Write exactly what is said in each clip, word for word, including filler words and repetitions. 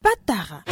Patara.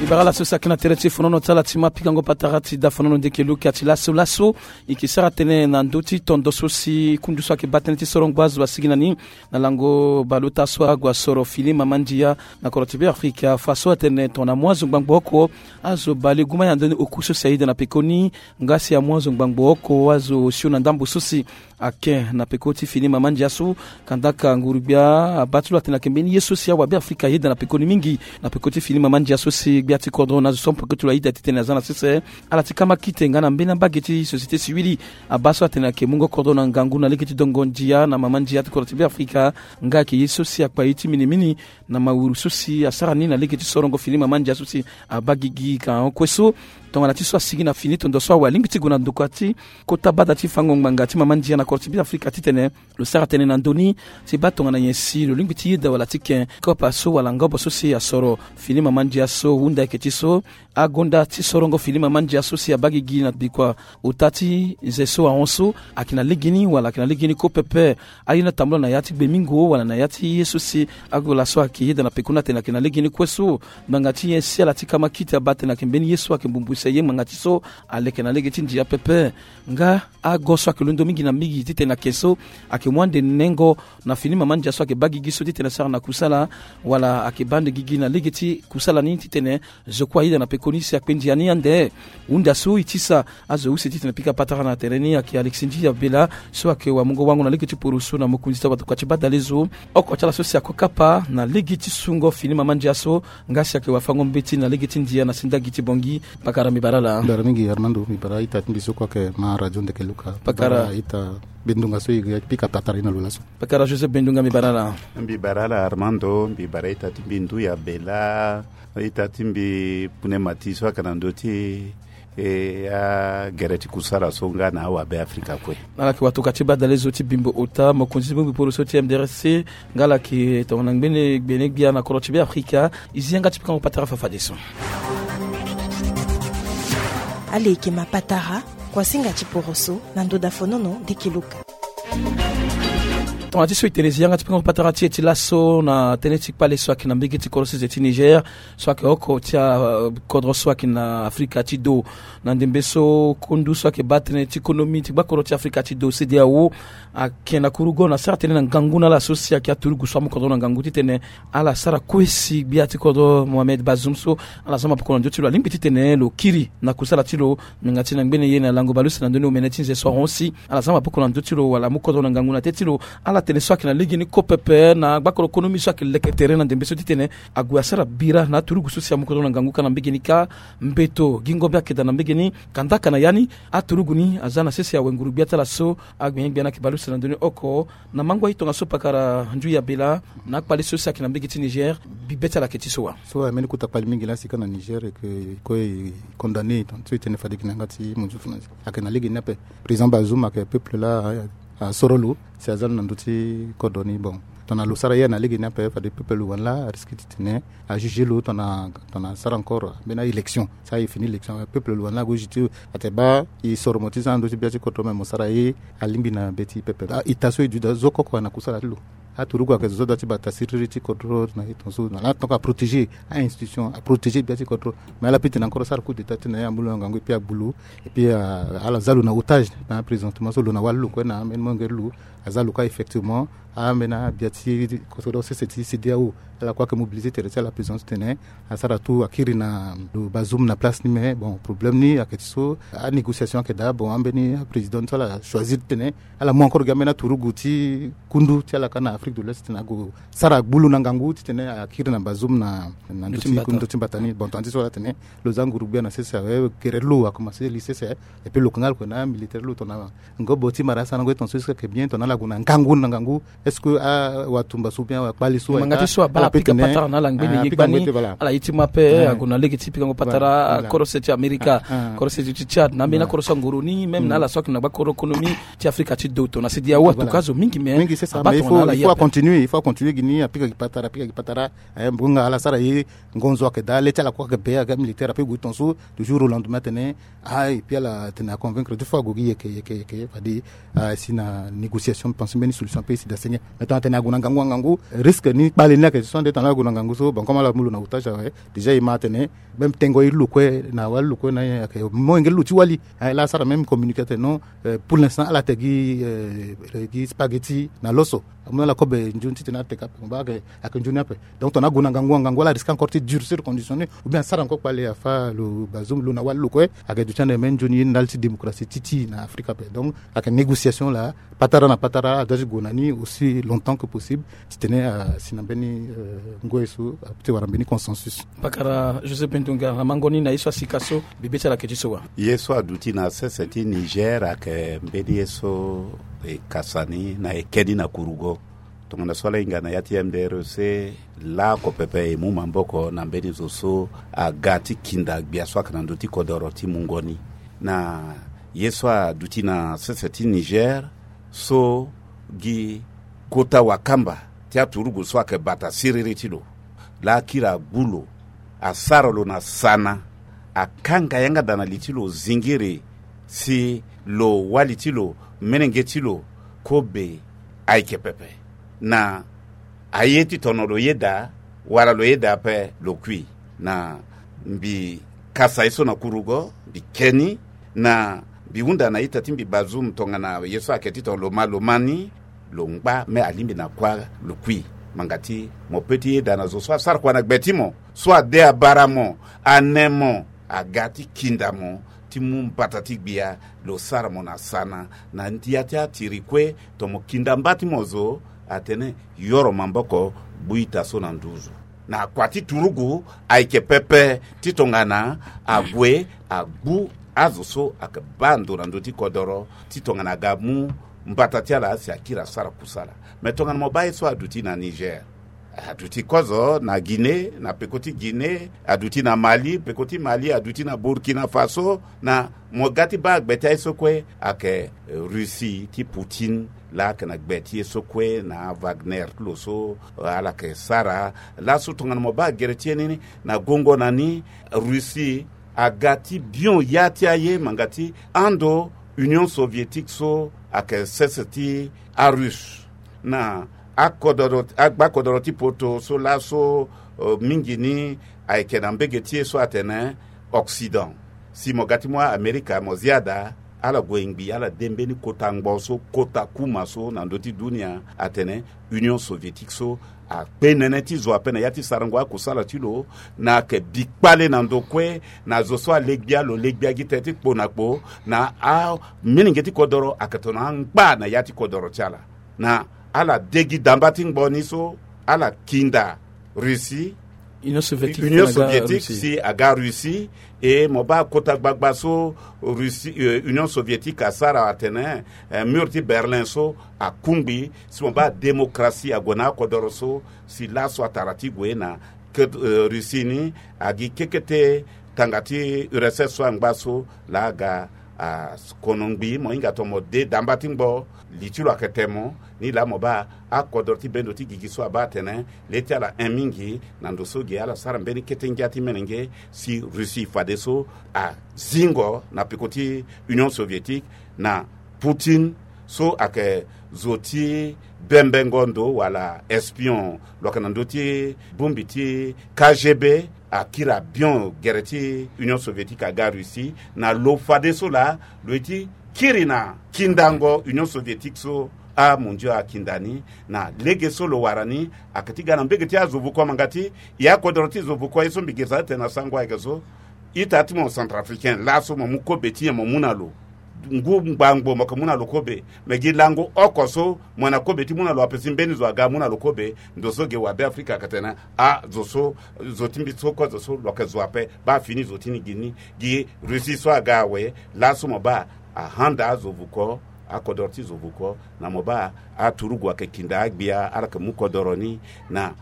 E bara ala so si ayeke na tere ti fonono ti ala ti ma pikango patara ti dafonono ndeke luka ti laso laso. E yeke sara tënë na ndö ti tondo so si kundu so ayeke baa tënë ti sorongo azo asigi na ni na lango baleota so ague asoro fini mama ndia na kodro ti Beafrika. Fa so atene tongana mu azo ngbangbo oko, azo balegume ya ndoni oku so si ayeda na pekoni. Nga si amu azo ngbangbo oko, azo osio na ndambo so si ake na peko ti fini mama ndia so. Kandaka nguru-gbia abaa ti lo atene ayeke mbeni ye so si awabe Afrika ayeda na pekoni mingi na peko ti fini mama ndia so si gbia ti kodro na azo so peko ti lo ayeda titene aza na sese. Ala ti kamakite nga na mbeni ambage ti société civile abaa so atene ayeke mungo kodro na ngangu na lege ti dongo ndia na mama ndia ti kodro ti Beafrika. Nga ayeke ye so si akpa ye ti minimini na mawuru so si asara ni na lege ti sorongo fini mama ndia so si abaa gigi ka hon kue so. Tongana ti so asigi na fini tondo so awe alingbi ti gue na ndokua ti kota bada ti fango ngbanga ti mama ndia na kodro ti Beafrika titene lo sara tënë na ndö ni ti baa tongana nyen si lo lingbi ti yeda wala ti ken kopa so wala ngobo so si asoro fini mama ndia so. Hunda ayeke ti so agonda ti sorongo fini mama ndia so si abaa gigi na bikua ota ti nze so ahon so ayeke na legeni wala ayeke na legeni kue pepe. Aye ni atambula na ya ti gbemingo wala na ya ti ye so si ague laso ayeke yeda na pekoni atene ayeke na legeni kue so. Ngbanga ti nyen si ala ti kamakite abaa atene ayeke mbeni ye so ayeke mbumbuse ye ngbanga ti so aleke na lege ti ndia pepe. Nga ago so ayeke londo mingi na mingi titene ake so ayeke mu ande nengo na fini mama ndia so ayeke baa gigi so titene asara na kusala wala ayeke baa ande gigi na lege ti kusala ni titene zo kue ayeda na pekoni si akpe ndia ni ande. Hunda so e tisa azo use titene pika patara na tere ni ayeke Alexis Ndia Bela so ayeke wamungo wango na lege ti poroso na mokonzi ti awatokua ti badalezo. Oko ti ala so si akue kapa na lege ti sungo fini mama ndia so nga si ayeke wafango mbeti na lege ti ndia na sindagi ti Bongi. Pakara mbi bara ala. Bara mingi Armando, mbi bara ita ti mbi so kue ayeke ma radio ndeke luka. Pakara. Bara ita bendunga so e pika patara e na lo laso. Pakara Joseph Bendunga, mbi bara ala. Mbi bara ala Armando, mbi bara ita ti mbi ndu ya bela, ita ti mbi pune mati so ayeke na ndö ti e agere ti kusara so nga na awabe Afrika kue. Ala yeke watokua ti badalezo ti bimbo ota mokonzi ti bongbi poroso ti M D R C nga ala yeke tongana ngbene gbene gbia na kodro ti Beafrika. E zi yanga ti pikango patara fafadeso. Ala yeke ma patara kuasinga ti poroso na ndo dafonono ndeke luka. Tongana ti so e tene e zi yanga ti pikango patara ti e ti laso na tënë ti kpale so ayeke na mbege ti kodro sese ti Niger so ayeke oko ti akodro so ayeke na Afrika ti do. Na ndembe so kundu so ayeke baa tënë ti konomi ti gbakodro ti Afrika ti do, CEDEAO, ayeke na kurugo na sara tënë na ngangu na ala so si ayeke aturugu so amu kodro na ngangu titene ala sara kue si gbia ti kodro Mohamed Bazoum so ala za mapoko na ndö ti lo alingbi titene lo kiri na kusala ti lo. Nginga ti na ngbene ye na lango baleuse na ndö ni omene ti nze so ahon si ala za mapoko na ndö ti lo wala amu kodro na ngangu na te ti lo. Ala tene so ayeke na legeni kue pepe na gbakodro konomi so ayeke leke tere na ndembe so titene ague asara bira na aturugu so si amu kodro na ngangu kâ na mbege ni kâ. Mbeto gi ngombe ayeke daa na mbege ni. Kandaka na ya ni aturugu ni aza na sese awe nguru-gbia ti ala so agbenye-gbia ni ayeke baleuse na ndö ni oko. Na mango aye tongaso pakara ndu ya bela na akpale so si ayeke na mbege ti Niger, bibe ti ala ayeke ti so wa? So aye mbeni kota kpale mingi laa si ka na Niger e ke kue e condamné e tongaso e tene fade gi na yanga ti monzu funa ayeke na legeni ape. Président Bazoum ayeke peuple laa asoro lo si aza lo na ndö ti kodro ni. Bon, tongana lo sara ye na legeni ape fade peuple lo wani laa arisque titene ajuge lo tongana tongana asara encore mbeni a-élection. Sara e fini élection peuple lo wani laa ague juge ti lo. Ate baa e soro mo ti za na ndö ti gbia ti kodro me mo sara ye alingbi na be ti pepe. Ah, ita so e duti daa zo koko na kusala ti lo. Aturugu ayeke zo so daa ti bata siriri ti kodro na ye tongaso na laa tongaso aprotéger a-institution, aprotéger gbia ti kodro. Mais ala peut tene encore asara coup d'état ti na ye amu lo na ngangu et puis agbu lo. Et puis ah, ala za lo na otage na présentement so lo na wali lo kue na ambeni molenge ti lo. Aza lo kue effectivement ambeni agbia ti kodro sese ti CEDEAO. Ala kue ayeke mobiliser tere ti ala présence titene asara tout akiri na lo Bazoum na place ni. Mais bon, problème ni ayeke ti so anégociation ayeke daa. Bon, ambeni aprésident so ala choisir titene ala mu encore gi ambeni aturugu ti kundu ti ala kâ na Afrique de l'Ouest titene ague sara agbu lo na ngangu titene akiri na Bazoum na ndö ti mbata ni. Bon, tongana ti so ala tene lo za nguru-gbia na sese awe, gere ti lo akomanse li sese. Et puis lo yeke nga lo yeke na amilitaire ti lo tongana ngobo ti mara asarango ye tongaso est-ce que ayeke bien tongana ala gue na ngangu na ngangu? Est-ce que awatumba so bien akpali so ma nga ti so abaa ala pika patara na ala ngbeni ye gbani. Ala ye ti ma pe ague na lege ti pikango patara. Korose ti amerika, korose ti tchad na ambeni akorose angoro ni même na ala so ayeke na gba koro konomi ti afrika ti do tongana sedi awa atuka azo mingi mais abaa tongana ala ye ape. Il faut acontinuer gi ni apika gi patara apika gi patara. Mbonga ala sara ye ngonzo ayeke daa le ti ala kue ayeke be ayeke amilitaire ape gue tonga so du jour au lendemain atene. Ah et puis ala tene aconvaincre deux fois ague gi yeke yeke yeke fade asi na négociation pense mbeni solution ape esi dasenge. Mais tongana atene ague na ngangu angangu risque ni kpale ni ayeke so ande tongana ague na ngangu so bon comme ala mu lo na otage awe. Déjà e ma atene même tengo ye ti lo kue na wali lo kue na ye ayeke molenge ti lo ti wali. Laa asara même communiqué atene non. Pour l'instant ala te gi spaghetti na loso. Amu na ala kobe nzoni titene ala teka ape mo baa ayeke nzoni ape. Donc tongana ague na ngangu angangu ala risque encore ti durcir condition ni ou bien asara encore kpale afa lo bazoum lo na wali lo kue. Ayeke duti ande même nzoni ye ndali ti démocratie ti ti na afrika ape donc ayeke négociation laa patara na patara adoit ti gue na ni aussi longtemps que possible. Titene asi na mbeni ngoi so ape ti wara mbeni consensus. Pakara joseph bendonga na mango ni na ye so asika so bebe ti ala yeke ti so wa? Ye so aduti na sese ti niger ayeke mbeni ye so e kasa ni na eke ni na kurugo. Tongana so ala hinga na ya ti mdrc laoko pepe e mu maboko na mbeni zo so aga ti kinda gbia so ayeke na ndö ti kodoro ti mungo ni. Na ye so aduti na sese ti niger so gi kota wakamba ti aturugu so ayeke bata siriri ti lo laa akiri agbu lo asara lo na sana akanga yanga daa na li ti lo zingiri si lo wali ti lo menenge ti lo kobe ayeke pepe na aye ti tono lo yeda wala lo yeda ape lo kui. Na mbi kasa ye so na kurugo mbi ke ni na mbi hunda na ita ti mbi bazoum tongana ye so ayeke ti tono lo ma lo ma ni lo ngba me alingbi na kuâ lo kui. Manga ti mo pe ti yeda na zo so asara kua na gbe ti mo so ade abara mo ane mo aga ti kinda mo ti mu mbata ti gbia lo sara mo na sana na ndia ti atiri kue. Tomo kinda mba ti mo zo atene yoro maboko gbu ita so na nduzu na akua ti turugu ayeke pepe ti tongana ague agbu azo so ayeke baa ndo na ndö ti kodoro ti tongana aga mu mbata ti ala si akiri asara kusala. Me tongana mo baa ye so aduti na niger aduti kozo na guinée na peko ti guinée aduti na mali peko ti mali aduti na burkina faso na mo ga ti baa gbe ti aye so kue ayeke russie ti poutine laa ayeke na gbe ti ye so kue na wagner ti lo so ala yeke sara. Laso tongana mo baa gere ti ye ni na gongo na ni russie aga ti bion ya ti aye manga ti ando union soviétique so ayeke sese ti arusse na akodoro agbakodoro ti poto so laso mingi ni ayeke na mbege ti ye so atene occident. Si mo ga ti mu amerika mo zia daa ala gue ngbi ala de mbeni kota ngbo so kota kuma so na ndö ti dunia atene union soviétique so akpe nene ti zo ape na ya ti sarango akusala ti lo na ayeke bi kpale na ndo kue na zo so alegbia lo legbia gi te ti kpo na kpo na amilenge ti kodoro ayeke tongana angba na ya ti kodoro ti ala na ala de gi damba ti ngbo ni so ala kinda russie union soviétique si aga russie e mo baa kota gbagba so russie union soviétique asara atene mur ti berlin so akungbi si mo baa démocratie ague na akodoro so si laso atara ti gue na russie ni agi kekete tanga ti urss so angba so laa aga akono ngbi mo hinga tongana mo de damba ti ngbo li ti lo ayeke temo ni laa mo baa akodro ti bendo ti gigi so abaa atene le ti ala hin mingi na ndo so ge ala sara mbeni kete ngia ti menenge si russie fadeso azingo na peko ti union soviétique na poutine so ayeke zo ti bembengo ndo wala espion lo yeke na ndö ti bongbi ti kgb akiri abion gere ti union soviétique aga russie na lo fadeso laa lo ye ti kiri na kindango union soviétique so amondio akinda ni na lege so lo wara ni ayeke ti ga na mbege ti azo vuko manga ti e akodoro ti zo vuko ye so mbi girisa ti tene na sango ayeke so ita ti mo centrafricain laso mo mu kobe ti nyen mo mu na lo ngu ngbangbo mo yeke mu na lo kobe me gi lango oko so mo na kobe ti mu na lo ape si mbeni zo aga amu na lo kobe ndo so ge wabe afrika ayeke tene a zo so zo ti mbi so kue zo so lo yeke zo ape baa fini zo ti ni gi ni gi russie so aga awe laso mo baa ahanda azo vuko akodoro ti zo vuko. Na mo baa aturugu ayeke kinda agbia ala yeke mu kodoro ni na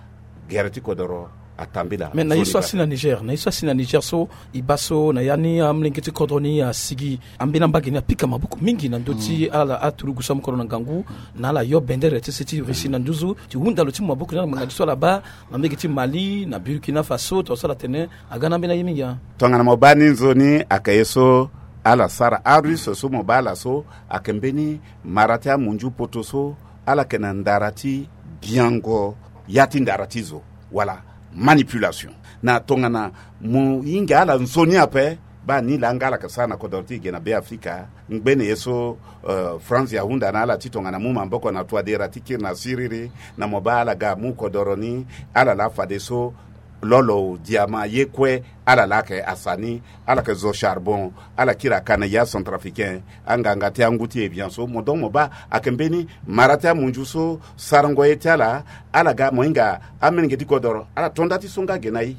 gere ti kodoro atambila. Mais na ye so asi na Niger, na ye so asi na Niger so, e baa so na ya ni amolenge ti kodro ni asigi, ambeni ambage ni apika maboko mingi na ndö ti ala aturugu so amu kodro na ngangu, na ala yo bendere ti se ti Russie na nduzu ti hunda lo ti mu maboko ni na ngbanga ti so ala baa na mbege ti Mali, na Burkina Faso, tongana so ala tene aga na ambeni aye mingi. Tongana mo baa ni nzoni ayeke ye so ala sara, aRusse so mo baa ala so ayeke mbeni mara ti amunzu poto so ala yeke na ndara ti biango ya ti ndara ti zo, wala manipulation. Na tongana mo hinga ala nzoni ape, baa ni laa nga ala yeke sara na kodoro ti e ge na Be Afrika. Ngbene ye so, eh, France ahunda na ala ti tongana mu maboko na tuadera ti kiri na siriri, na mo baa ala ga amu kodoro ni, ala laa fadeso lolo, diama, ye kue, ala laa ayeke asa ni, ala yeke zo charbon, ala kiri aka na ya centrafricain, anganga ti angu ti Evian so, mo donc mo baa ayeke mbeni mara ti amunzu so sarango ye ti ala. Ala ga mo hinga amolenge ti kodoro, ala to nda ti so nga ge na e.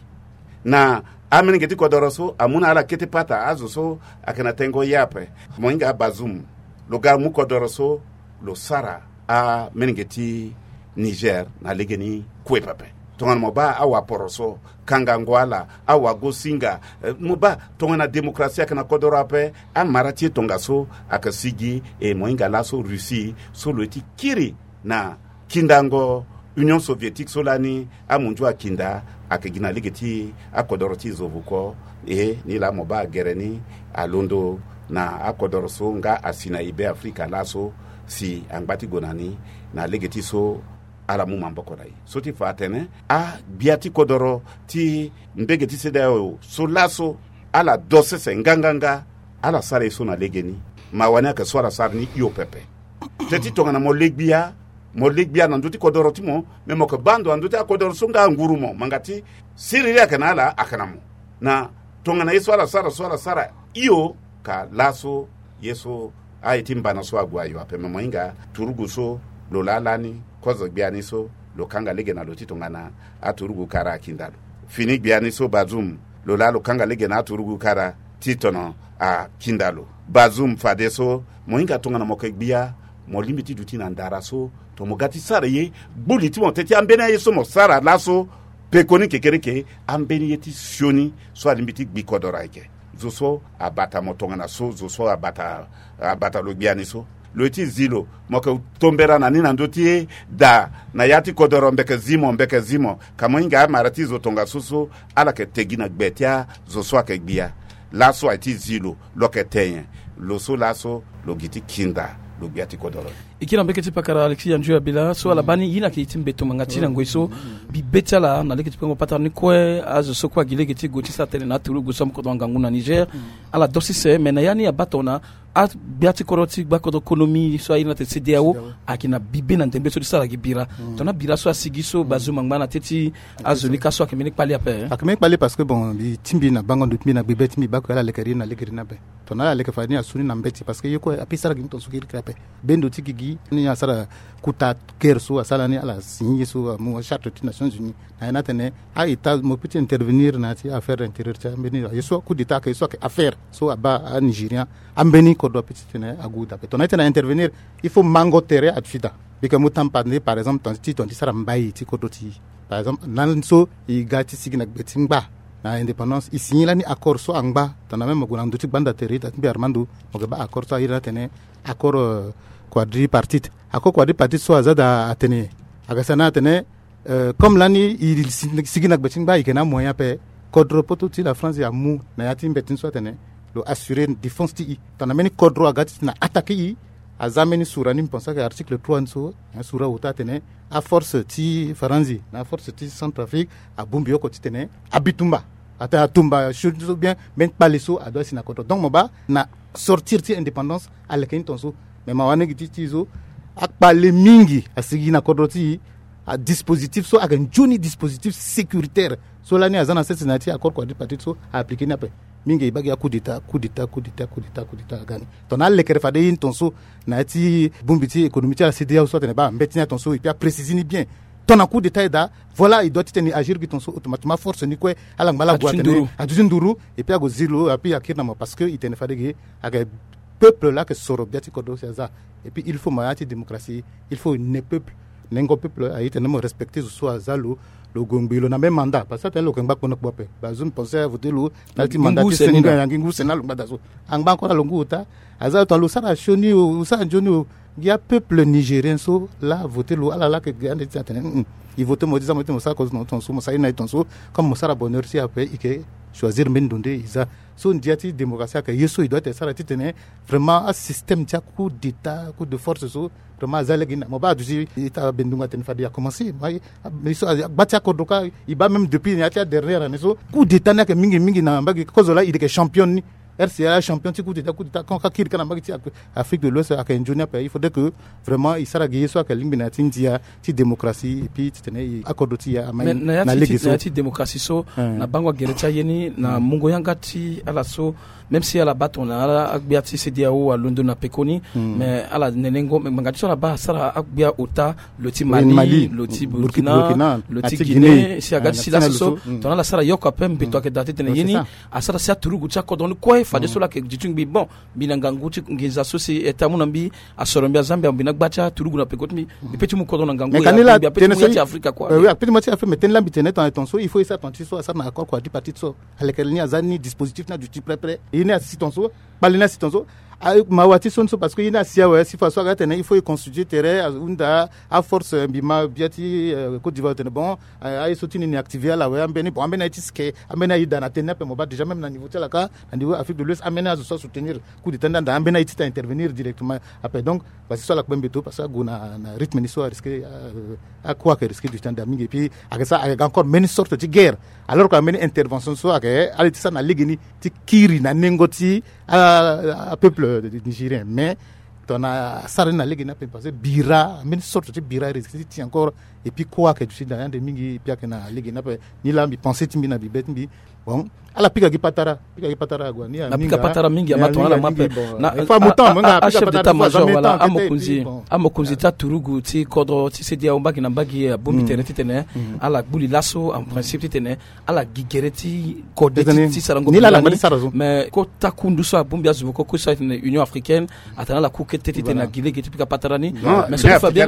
Na amolenge ti kodoro so amu na ala kete pata, azo so ayeke na tengo ye ape. Mo hinga aBazoum, lo ga mu kodoro so, lo sara amolenge ti Niger na legeni kue pepe. Tongana mo baa awaporo so, kangango ala, awagosinga, eh, mo baa tongana démocratie ayeke na kodoro ape, amara ti e tongaso ayeke sigi, e mo hinga laso Russie so lo ye ti kiri na kindango Union Soviétique so lani amunzu akinda, ayeke gi na lege ti akodoro ti zo vuko. E ni laa mo baa gere ni alondo na akodoro so nga asi na e Be Afrika laso, si angba ti gue na ni na lege ti so ala mu maboko na e. So ti fa atene agbia ti kodoro ti mbege ti CEDEAO so laso, ala do sese nganganga, ala sara ye so na legeni. Mawa ni ayeke so ala sara ni hio pepe. Teti tongana mo le gbia, mo le gbia na ndö ti kodoro ti mo, me mo yeke baa ndo na ndö ti akodoro so nga anguru mo, ngbanga ti siriri ayeke na ala, ayeke na mo. Na tongana ye so ala sara so, ala sara hio ka laso ye so aye ti mbana so ague ayo ape. Me mo hinga turugu so, lo laa lani kozo gbia ni so, lo kanga lege na lo ti tongana aturugu kara akinda lo. Fini gbia ni so Bazoum, lo laa lo kanga lege na aturugu kara ti tono akinda lo. Bazoum, fadeso mo hinga tongana mo yeke gbia, mo lingbi ti duti na ndara so, to mo ga ti sara ye, gbu li ti mo teti ambeni aye so mo sara laso, pekoni kekereke, ambeni ye ti sioni so alingbi ti gbi kodoro ayeke. Zo so abata mo tongana so, zo so abata, abata lo gbia ni so, lo ye ti zi lo, mo yeke tombera na ni na ndö ti da na ya ti kodoro, mbi yeke zi mo, mbi yeke zi mo. Ka mo hinga amara ti zo tongaso so, ala yeke te gi na gbe ti azo so ayeke gbia. Laso aye ti zi lo, lo yeke te nyen? Lo so laso lo gi ti kinda lo gbia ti kodoro. E kiri na mbege ti pakara Alexis Yanju Abila so ala baa ni ye ni ayeke ye ti mbeto ngbanga ti na ngoi so, bibe ti ala na lege ti pengo patara ni kue, azo so kue agi lege ti gue ti sara tënë na aturugu so amu kodro ngangu na Niger. Ala do sese, me na ya ni abaa tongana agbia ti kodro ti gba kodro konomi so airi ni atene CEDEAO, ayeke na bibe na ndembe so ti sara gi bira. Tongana bira so asigi so Bazoum angba na teti azo ni ka so ayeke mbeni kpali ape. Ayeke mbeni kpali parce que bon, mbi ti mbi na bango ndo ti mbi na gbebe ti mbi bako ala leke ri na lege ri ni ape. Tongana ala leke fa ni asu ni na mbeti parce que ye kue ape sara gi ni tongaso kiri kiri ape. Bendo ti gigi ni asara kuta guerre so asara ni, ala signé ye so amu acharte ti Nations Unies. Na ye ni atene a-État mo peut ti intervenir na ya ti affaire intérieure ti ambeni ye so coup d'État ayeke, ye so ayeke affaire so abaa aNigérien, ambeni kodro ape ti tene ague dape. Tongana e tene a intervenir, il faut mango tere adu ti da. Mbi yeke mu tampa nde par exemple ti tongana ti sara mbai ti kodro ti e. Par exemple na so e ga ti sigi na gbe ti ngba na indépendance, e signé lani accord so angba. Tongana même mo gue na ndö ti gbanda tere ita ti mbi Armando, mo yeke baa accord so airi ni atene accord, euh, quadripartite. Accord quadripartite so aza daa atene, ayeke sara ni atene, euh, comme lani e si-, sigi na gbe ti ngba, e yeke na amoyen ape. Kodro poto ti la France amu na ya ti mbeti ni so atene lo assurer défense ti e. Tongana mbeni kodro aga ti tene attaquer e, aza mbeni sura ni, mbi pense ayeke article trois ni so, sura ota atene aforce ti Faranzi na aforce ti Centrafrique abongbi oko ti tene abitumba, atene atumba sio ni so bien mbeni kpale so adoit asi na kodro. Donc mo baa na sortir ti indépendance aleke ni tongaso. Me mawa ni gi ti ti e so, akpale mingi asigi na kodro ti e. Adispositif so ayeke nzoni dispositif sécuritaire so lani aza na sese na ya ti accord quadripartite so a appliquer ni ape. Mingi e baa gi a coup d'état, coup d'état, coup d'état, coup d'état, coup d'état aga ni. Tongana alekere fade ye ni tongaso na ya ti bongbi ti économie ti la CEDEAO so atene baa mbeti ni atongaso, et puis apréciser ni bien. Tongana coup d'état e daa, voilà, e doit ti tene e agir gi tongaso automatiquement, force ni kue ala ngba ala gue atene aduti nduru, et puis ague zi lo, et puis akiri na mo parce que e tene fade ge ayeke peuple laa ayeke soro gbia ti kodro si aza. Et puis il faut mo ya ti démocratie, il faut ne peuple, nengo peuple aye ti tene mo respecter zo so aza lo, lo gue ngbii lo na même mandat, parce que atene lo yeke ngba kpo na kpo ape. Ba zo mbi pense avoter lo na ya ti mandat ti seni na ya ngingu seni na lo ngbada so. Angba encore na lo ngu ota. Aza lo tongana lo sara sioni o, lo sara nzoni o. Ngia peuple nigérien so laa avoter lo ala laa ayeke ge ande ti atene, mm, mm. E voter mo ti za mo ti mo sara kozo na tonso mo sara ye na ye tonso. Comme mo sara bonheur ti ape e yeke choisir mbeni ndo nde e za. So ndia ti démocratie ayeke ye so e doit ti sara ti tene vraiment asystème ti acoup d'état, coup de force so vraiment aza lege ni na mo baa aduti. Ita bendungu atene fade a commencer mai. Gba ti akodro ka e baa même depuis na ya ti adernière année so coup d'état ni ayeke mingi mingi na mbage kozo laa e yeke champion ni. R C A champion ti coup d'état, coup d'état, quand ka kiri ka na mbage ti Afrique de l'Ouest ayeke nzoni ape. Il faudrait que vraiment e sara gi ye so ayeke lingbi na ya ti ndia ti démocratie et puis ti tene e akodro ti e amai na lege so. Na ya ti démocratie so na bango agere ti aye ni na mungo yanga ti ala so. Même si ala baa tongana ala agbia ti CEDEAO alondo na pekoni, mais ala nenengo me ngbanga ti so ala baa asara agbia ota, lo ti Mali, lo ti Burkina, lo ti Guinée si aga ti si laso so. Tongana ala sara yoko ape mbeto ayeke daa ti tene ye ni asara si aturugu ti akodro ni kue fadeso laa ayeke duti ngbii bon. Mbi na ngangu ti nginza so si e ta mu na mbi asoro mbi azambia mbi na gba ti aturugu na peko ti mbi. Mbi pe ti mu kodro na ngangu ya mbi ape ti mu ya ti Afrika kua. Ape ti mu ya ti Afrika mais tënë laa mbi tene tongana tonso il faut e sara tongana ti so asara na accord kua ti parti ti so. Aleke ni aza ni dispositif ni aduti prêt prêt ye ni asi tonso. Kpale ni asi tonso. Mawa ti so ni so parce que ye ni asi awe si fa so aga tene il faut e constituer tere ahunda aforce mbi ma bia ti Côte d'Ivoire tene bon. Aye so ti ni ni activer ala awe ambeni bon ambeni aye ti sike ambeni aye da na tënë ni ape mo baa déjà même na niveau ti ala ka na niveau Afrique de l'Ouest ambeni azo so asoutenir coup d'état ni anda ambeni aye ti ta intervenir directement. Ape donc parce que so ala kpe mbeto parce que ague na rythme ni so arisque. Akua ayeke risque du temps daa mingi et puis ayeke sara ayeke encore mbeni sorte ti guerre. Alors que ambeni intervention so ayeke ala ye ti sara na lege ni ti kiri na nengo ti apeuple nigérien mais tongana asara ni na lege ni ape parce que bira mbeni sorte ti bira risque ti ti encore. Et puis kua ayeke duti na yande mingi et puis ayeke na lege ni ape. Ni laa mbi pense ti mbi na bibe ti mbi. Bon ala pika gi patara pika gi patara ague na pika patara mingi ama tongana ala ma ape. Achef d'état major wala amokonzi amokonzi ti aturugu ti kodro ti CEDEAO mbage na mbage abongbi tere titene ala gbu li laso en principe titene ala gi gere ti kode ti sarango. Mais kota kundu so abongbi azo voko kue so atene Union africaine atene ala ku kete titene agi lege ti pika patara ni. Mais so ti fa bien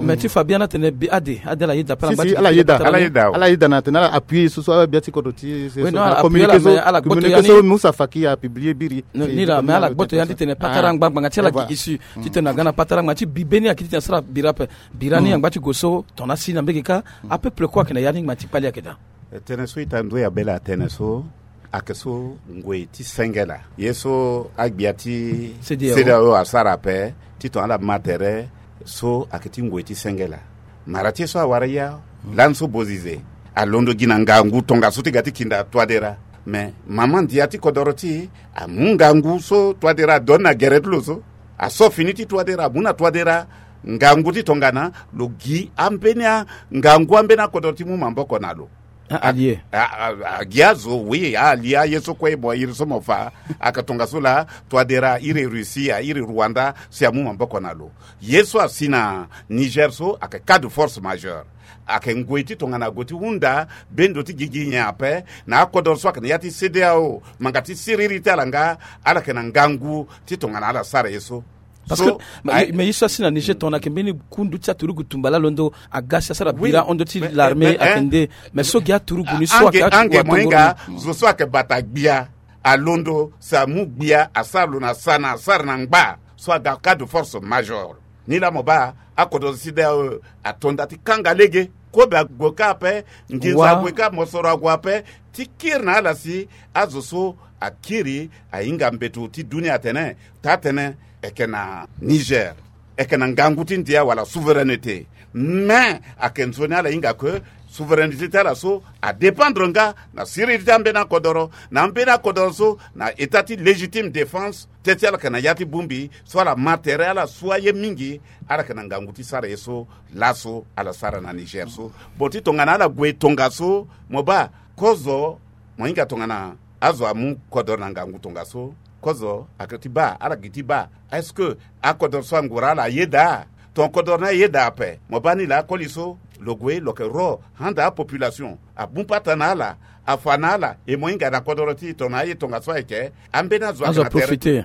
mais ti fa bien atene ade ade ala yeda ape ala ngba ti ala yeda na atene ala appuyer so so abia ti kodro ti communiqué so musa faki apublier biri. Ni la mais ala gboto ya ni titene patara ngba ngbanga ti ala gi isi titene aga na patara ngbanga ti bibe ni ayeke titene asara bira ape. Bira ni angba ti go so tongana asi na mbege ka apeuple kue ayeke na ya ni ngbanga ti kpali ayeke daa. Tënë so ita ndoya bele atene so ayeke so ngoi ti senge laa ye so agbia ti CEDEAO asara ape titongana ala ma tere so ayeke ti ngoi ti senge laa. Mara ti ye so awara ya lani so bozize alondo gi na ngangu tongaso ti ga ti kinda Touadéra. Mais mama ndia ti kodoro ti e amu ngangu so Touadéra adoni na gere ti lo so aso fini ti Touadéra amu na Touadéra ngangu ti tongana lo gi ambeni angangu ambeni akodoro ti mu maboko na lo. Alie agi azo oui alie aye so kue mo iri so mo fa. Aka tongaso laa Touadéra iri Russie a iri Rwanda si amu maboko na lo. Ye so asi na Niger so ayeke cas de force majeure. Ayeke ngoi ti tongana ague ti hunda bendo ti gigi nyen ape na akodoro so ayeke na ya ti CEDEAO. Manga ti siriri ti ala nga ala yeke na ngangu ti tongana ala sara ye so. Parce que mais ye so asi na Niger tongana ayeke mbeni kundu ti aturugu tumba laa londo aga si asara bira hon ndo ti l'armée ayeke nde. Mais so gi aturugu ni so ayeke ange mo hinga zo so ayeke bata gbia alondo si amu gbia asara lo na sana asara na ngba so aga cas de force major. Ni laa mo baa akodoro CEDEAO ato nda ti kanga lege kobe ague ka ape. Nginza ague ka mosoro ague ape ti kiri na ala si azo so akiri ahinga mbeto ti dunia atene taa tënë eke na Niger eke na ngangu ti ndia wala souveraineté. Mais ake nzoni ala hinga ke souveraineté ti ala so adépendre nga na siriri ti ambeni akodoro na ambeni akodoro so na état ti légitime défense. Teti ala yeke na ya ti bongbi so ala ma tere ala sua ye mingi. Ala yeke na ngangu ti sara ye so laso ala sara na Niger so. Bon ti tongana ala gue tongaso mo baa kozo mo hinga tongana azo amu kodoro na ngangu tongaso. Kozo ayeke ti baa ala gi ti baa est-ce que akodoro so angura ala ayeda? Ton kodoro ni ayeda ape mo baa ni laa akoli so lo gue lo yeke ro handa apopulation abu pata na ala afa na ala e mo hinga na kodoro ti e tongana aye tongaso ayeke ambeni azo ayeke na tere.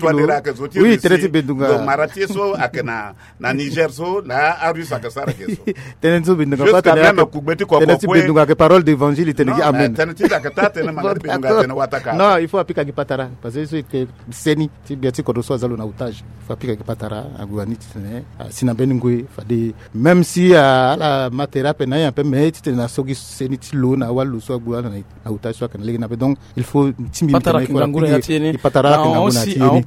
Touadéra ayeke zo ti Russie. Tënë ti Bendunga, lo mara ti ye so ayeke na na Niger so na arusse ayeke sara ge so. Tënë ti so Bendunga kue atene, tënë ti Bendunga ayeke parole d'évangile, e tene gi amen. Tënë ti da ayeke taa tënë, manga ti Bendunga atene wataka. Non, il faut apika gi patara parce que so e yeke seni ti gbia ti kodro so aza lo na otage. Il faut apika gi patara ague wani titene asi na mbeni ngoi fade, même si ala ma tere ape na ye ape, mais titene na so gi seni ti lo na awali lo so ague wala na na otage so ayeke na lege ni ape. Donc il faut ti mbi patara ayeke ngangu na ya ti ye ni. Patara ayeke ngangu na ya ti ye ni.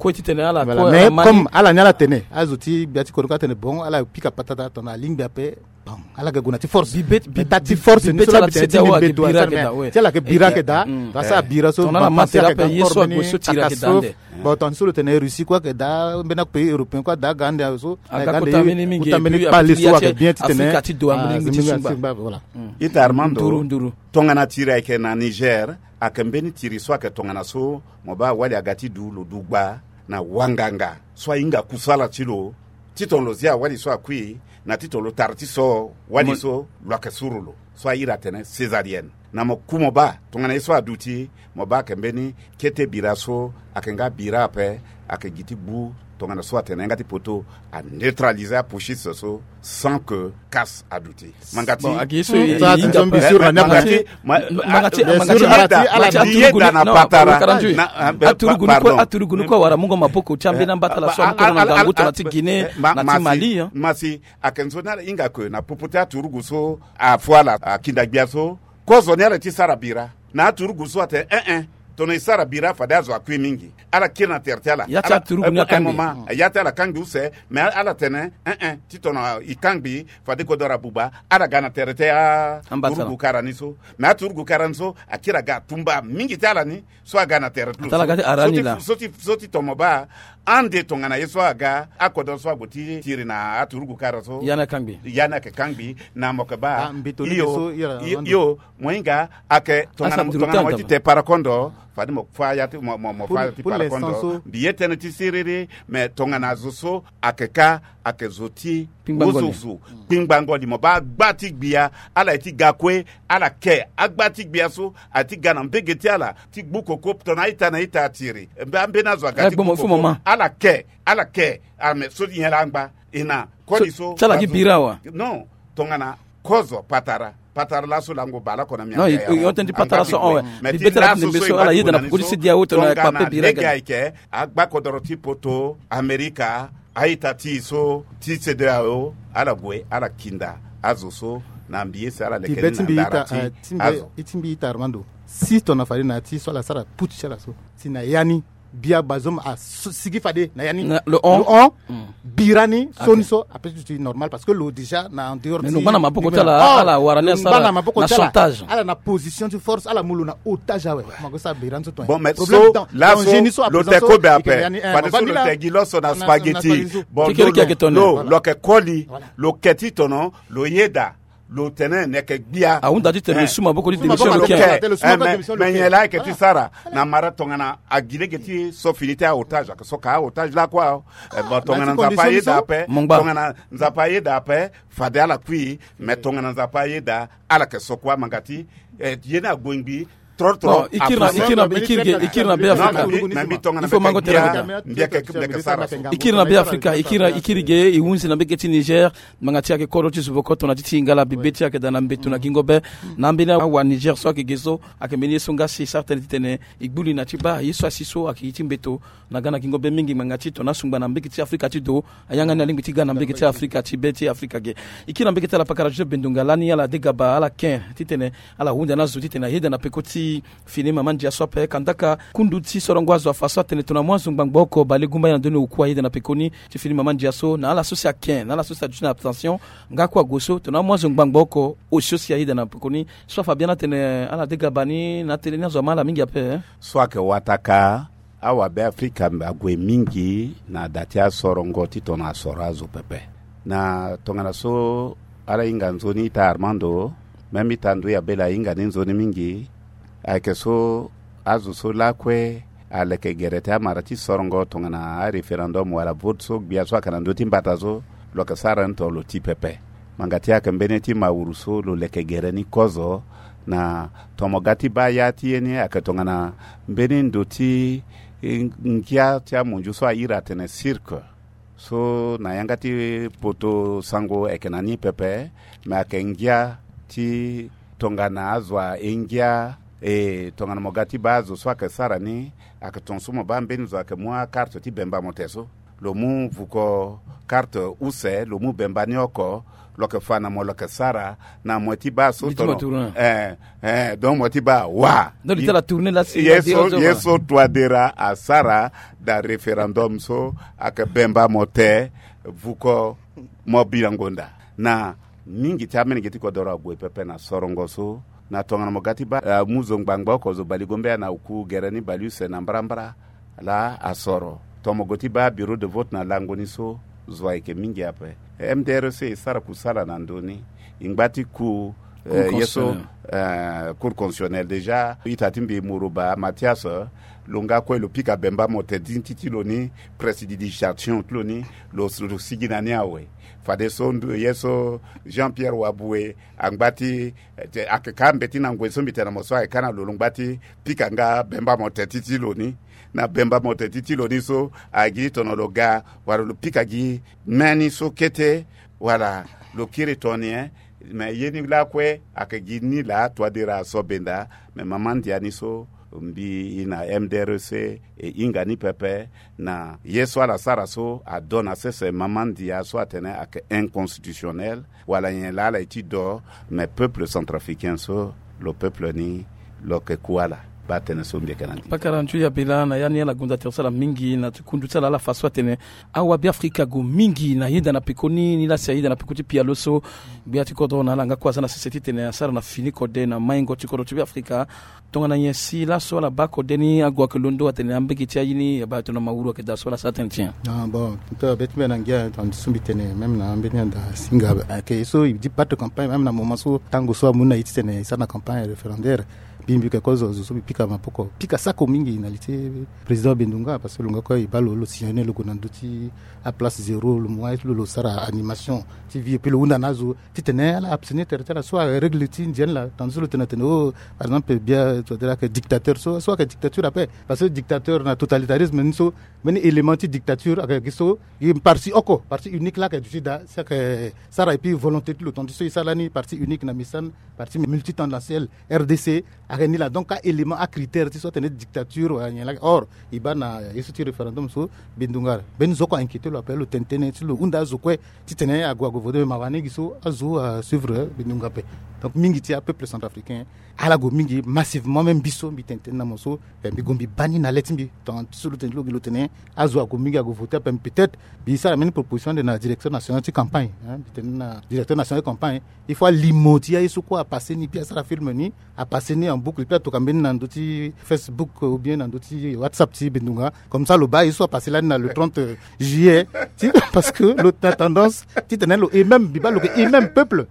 Mais comme ala ni ala tene, azo ti gbia ti kodro kue atene bon, ala pika patara tongana alingbi ape. Bon, ala ga gue na ti force. Bi be ti ala ti seni mbeto ayeke daa we, ti ala yeke bira ayeke daa. Parce que abira so tongana ala ma tere ape, ye so ague so tiri ayeke daa nde. Bon, tongana so lo tene Russie kue ayeke daa, mbeni apays européen kue ada aga ande awe so aga kota mbeni mingi, kota mbeni kpale so ayeke bien titene Afrika ti do ambeni mingi ti sungba. Voilà. Ita Armando, nduru nduru. Tongana tiri ayeke na Niger, ayeke mbeni tiri so ayeke tongana so mo baa wali aga ti du lo du gba na wanganga so ahinga kusala ti lo, titene lo zia wali so akui, na titene lo tara ti so wali so lo yeke suru lo, so ahiri atene césarienne. Na mo ku mo baa tongana ye so aduti, mo baa ayeke mbeni kete bira so ayeke nga bira ape, ayeke gi ti gbu tongana so atene nga ti poto aneutraliser apouchiste so sans que casse aduti. Manga ti, manga ti, manga ti, manga ti, manga ti, ala ti yeda na patara. Aturugu ni kue, aturugu ni kue awara mungo maboko ti ambeni ambatala so amu kono na ngangu tongana ti Guinée na ti Mali. Masi, ayeke nzoni ala hinga ke na popo ti aturugu so afo ala akinda gbia so, kozo ni ala ti sara bira. Na aturugu so atene eh eh, tongana e sara bira fade azo akui mingi. Ala kiri na tere ti ala. Ya ti aturugu ni akangbi. Ya ti ala kangbi use, mais ala tene eh eh, titongana e kangbi fade kodoro abuba, ala ga na tere ti aturugu kara ni so. Mais aturugu kara ni so akiri aga atumba mingi ti ala ni so aga na tere ti lo so. So ti, so ti tomo baa ande tongana ye so aga akodoro so ague ti tiri na aturugu kara so, ya ni akangbi. Ya ni ayeke kangbi. Na mo yeke baa mbeto ni so, yo, mo hinga ayeke tongana mo ti te parakondo, fade mo fa ya ti mo, mo fa ya ti parakondo. Mbi ye tënë ti siriri, mais tongana zo so ayeke ka ayeke zo ti wuzuzu. Kpingbango li mo baa agba ti gbia, ala ye ti ga kue, ala ke agba ti gbia so aye ti ga na mbege ti ala ti gbu koko tongana a-ita na a-ita atiri. Ambeni azo aga ti gbu koko, ala ke, ala ke. Ah, mais so ti nyen la angba? E na koli so ti ala gi bira awe. Non, tongana kozo patara, patara laso lango baleoko na miango ya. Non, yo tënë ti patara so awe. Mais ti laso so e baa ti mo na ni so, tongana lege ayeke agba kodoro ti poto, Amerika, a-ita ti e so ti CEDEAO, ala gue ala kinda azo so na mbi ye si ala leke ni na ndara ti azo. Ti mbi ita Armando, si tongana fade na ya ti so ala sara putsch ti ala so, si na ya ni bia Bazoum asigi fade na ya ni, lo hon bira ni so ni so ape ti duti normal parce que lo déjà na en dehors ti, lo ngba na maboko ti ala, ala wara ni asara na chantage. Ala na position ti force, ala mu lo na otage awe. Mo yeke sara bira ni so tonga. Bon, mais so laso lo te kobe ape, fade so lo te gi lo so na spaghetti. Bon, lo lo yeke koli, lo ke ti tono, lo yeda Lo tene ni yeke gbia ahunda ti tene lo su maboko ti démission lo ke. Me nyen laa ayeke ti sara na mara tongana agi lege ti so fini ti aotage ayeke so ka aotage lakue aho. Bon, tongana nzapa ayeda ape, tongana nzapa ayeda ape, fade ala kui. Me tongana nzapa ayeda, ala yeke so kua manga ti ye ni ague ngbi. Trop trop. Ikiri na be afrika. Ikiri na be afrika. Ikiri ge e hunzi na mbege ti niger. Ngbanga ti ayeke kodro ti zuboko tona ti tingala bibe ti ayeke daa na mbeto na gingo be. Na ambeni awa niger so ayeke ge so, ayeke mbeni ye so nga si e sara tënë titene e gbu li na ti baa ye so asi so ayeke gi ti mbeto. Na ga na gingo be mingi ngbanga ti tona asungba na mbege ti afrika ti do. Ayanga ni alingbi ti ga na mbege ti afrika ti be ti afrika ge. Ikiri na mbege ti ala pakara ti so bendonga lani ala degaba ala ken titene ala hunda na zo titene ayeda na peko ti fini mama ndia so ape kandaka kundu ti sorongo azo afa so atene tona amu azo ngbangba oko bale gumba ye na ndoni oku ayeda na pekoni ti fini mama ndia so na ala so si aken na ala so si aduti na abstention. Nga kue ague so tona amu azo ngbangba oko osio si ayeda na pekoni. So afa biani atene ala degaba ni na atene ni azo ama ala mingi ape. So ayeke wataka awabe afrika ague mingi na da ti asorongo ti tona asoro azo pepe. Na tongana so ala hinga nzoni ita armando, même ita ndui abela ahinga ni nzoni mingi. Ayeke so azo so lakue aleke gere ti amara ti sorongo tongana aréférendum wala vote so gbia so ayeke na ndö ti mbata so. Lo yeke sara ni tongana lo ti pepe. Ngbanga ti ayeke mbeni ti mawuru so lo leke gere ni kozo. Na tomo ga ti baa ya ti ye ni ayeke tongana mbeni ndo ti ngia ti amondio so ahiri atene cirque. So na yanga ti poto sango ayeke na ni pepe. Me ayeke ngia ti tongana azo ahe ngia. E tongana mo ga ti baa azo so ayeke sara ni, ayeke tongaso mo baa mbeni zo ayeke mu akarte ti bemba mo te so. Lo mu vuko karte use lo mu bemba ni oko. Lo yeke fa na mo lo yeke sara na mo ti baa so tono. Eh, eh, donc mo ti baa wa. Ye so toadera asara da référendum so ayeke bemba mo te. Vuko mo bilango nda na mingi ti amene ge ti kodoro ague pepe na sorongo so. Na tongana mo ga ti baa amu zo ngbangba oko zo baligombe ana oku gere ni baliuse na mbrambra. Laa asoro tomo go ti baa bureau de vote na lango ni so. Zo ayeke mingi ape. Mdrc esara kusala na ndö ni. E ngba ti ku ye so cour constitutionnel déjà ita ti mbi muruba mathias. Lo nga kue lo pika bemba mo te ti ti lo ni. Presse di digitation ti lo ni lo sigi na ni awe. Fadeso ye so jean pierre wabue angba ti ayeke ka mbeti na ngoi so mbi tene na mo so ayeke ka na lo lo ngba ti pika nga bemba mo te ti ti lo ni. Na bemba mo te ti ti lo ni so ayeke gi ti tono lo ga wala lo pika gi meni so kete wala lo kiri toni e. Me ye ni lakue ayeke gi ni laa toadera aso benda. Me mama ndia ni so mbi i na mdrc e hinga ni pepe. Na ye so ala sara so ado na sese mama ndia so atene ayeke inconstitutionnel. Wala nyen laa ala ye ti do. Me peuple centrafricain so lo peuple ni lo yeke ku ala. Baa tënë so mbi yeke na ndi pakara ntu ya bela na ya ni ala gonda tere so ala mingi na ti kundu ti ala ala fa so atene awabe afrika ague mingi na yeda na peko ni ni laa si ayeda na peko ti pialo so. Gbia ti kodro na ala nga kue aza na sese titene asara na fini kode na maingo ti kodro ti be afrika. Tongana nyen si laso ala baa kode ni ague ayeke londo atene ambege ti aye ni abaa tongana mawuru ayeke daa so ala sara tënë ti nyen? Bon, tonga be ti mbi na ngia tongana ti so mbi tene même na ambeni anda singa ayeke ye so e di bate campagne même na moment so tango so amu na ye titene e sara na campagne référendaire. Mbi mbi yeke kozo zo so mbi pika maboko pika sako mingi na li ti président bendunga parce que lo nga kue e baa lo lo signane lo gue na ndö ti aplace zéro lo mu aye ti lo lo sara animation ti vie epui lo hunda na azo titene ala absene tere ti ala so arègle ti ndia ni laa tandis so lo tene atene o par exemple bia so ayeke dictateur so so ayeke dictature ape. Parce que dictateur na totalitarisme ni so mbeni élément ti dictature ayeke gi so gi parti oko parti unique laa ayeke duti daa si ayeke sara epui volonté ti lo tandis so e sara lani parti unique na misan parti multitandanciel rdc. Ayeke ni laa donc ka élément acritère ti so atene dictature wala nyen laa or e baa na ye so ti référendum so. Bindunga mbeni zo oko ainquiété lo ape lo tene tënë ti lo hunda azo kue titene ague ague vote me mawa ni gi so azo asuivre bindunga ape. Donc mingi ti apeuple centrafricain ala gue mingi massivement même mbi so mbi tene tënë na mo so mbi gue mbi baa ni na le ti mbi tongana ti so lo tene ti lo gi lo tene azo ague mingi ague vote ape peut-être mbi sara mbeni proposition ande na directeur national ti campagne mbi tene na directeur national ti campagne il faut alimo ti aye so kue apasse ni puis asara film ni apasse ni en Buku li pe atoka mbeni na ndö ti Facebook ou bien na ndö ti WhatsApp ti Bendunga. Comme ça lo baa ye so apasse lani na le trente juillet ti, parce que lo na tendance titene lo et même mbi baa lo ke et même peuple.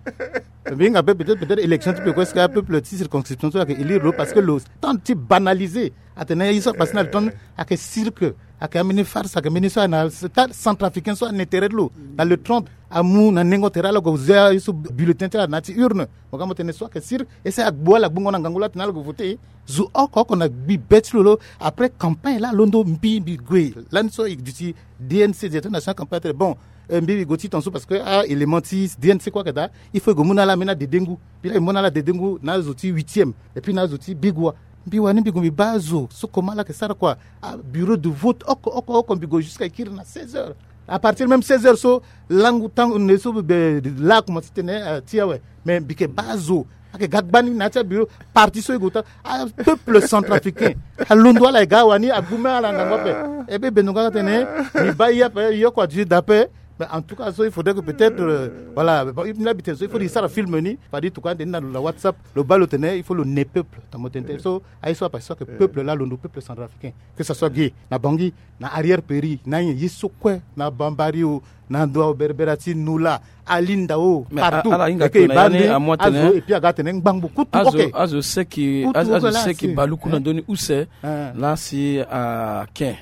Mbi hinga pe peut-être, peut-être élection ti pe kue, est-ce que apeuple ti circonscription so ayeke élire lo? Parce que lo tente ti banaliser atene ye so apasse na le trente ayeke cirque, ayeke ambeni farce, ayeke mbeni so ayeke na stade centrafricain so ane tere ti lo na le trente. Amu na nengo tere ala gue zia ye so bulletin ti ala na ya ti urne. Mo ga mo tene so ayeke cirque. Ese agbu ala gbungo na ngangu la tene ala gue vote. Zo oko oko na gbi be ti lo lo. Après campagne la alondo mbi mbi gue lani so e duti D N C, directeur national campagne atene bon, eh, mbi mbi gue ti tonso parce que ah élément ti D N C kue ayeke daa. Il faut e gue mu na ala ambeni adedengu. Mbi la e mu na ala adedengu na azo ti huitième et puis na azo ti bigua. Mbi wani mbi gue mbi baa azo so comment ala yeke sara kua. Ah, bureau de vote oko oko oko mbi gue jusqu'à e kiri na seize heures. À partir même seize heures so langu tango ne so be la akomanse tene, eh, ti awe. Mais mbi yeke baa azo ayeke ga gbani na ya ti abureau. Parti so e gue ota, apeuple centrafricain alondo ala e ga wani agbu même ala ngangu ape. E be Bendunga atene mbi baa ye ape, ye oko adu ye daa ape. Mais en tout cas so il faudrait que peut-être, euh, voilà, bon, mbi la mbi tene so il faut e sara film ni fade e tuka ande ni na lo na WhatsApp. Lo baa lo tene il faut lo ne peuple. Tamo tene so aye so apasse so ayeke peuple la alondo, peuple centrafricain, que ça soit ge na Bangui, na arrière pays, na nyen ye so kue, na Bambari o, na ndo aberbera ti Noula, Alinda o, partout. Ala hinga tene yani amu atene azo et puis aga tene ngbangbo kutu. Azo seki, azo seki baluku na ndö ni use. La si aken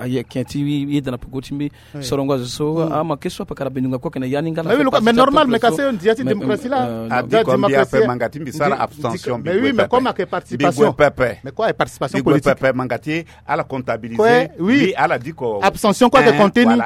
aye ken ti ye da na peko ti mbi. Sorongo azo so ama ke so apakara Bendunga kue ayeke na ya ni nga la. Mais normal, mais kasi ndia ti démocratie la. Adi ko mbi ape manga ti mbi sara abstention. Mais oui, mais comme ayeke participation, mais quoi, participation politique, manga ti ala comptabiliser. Oui, ala di ko abstention kue ayeke compter ni.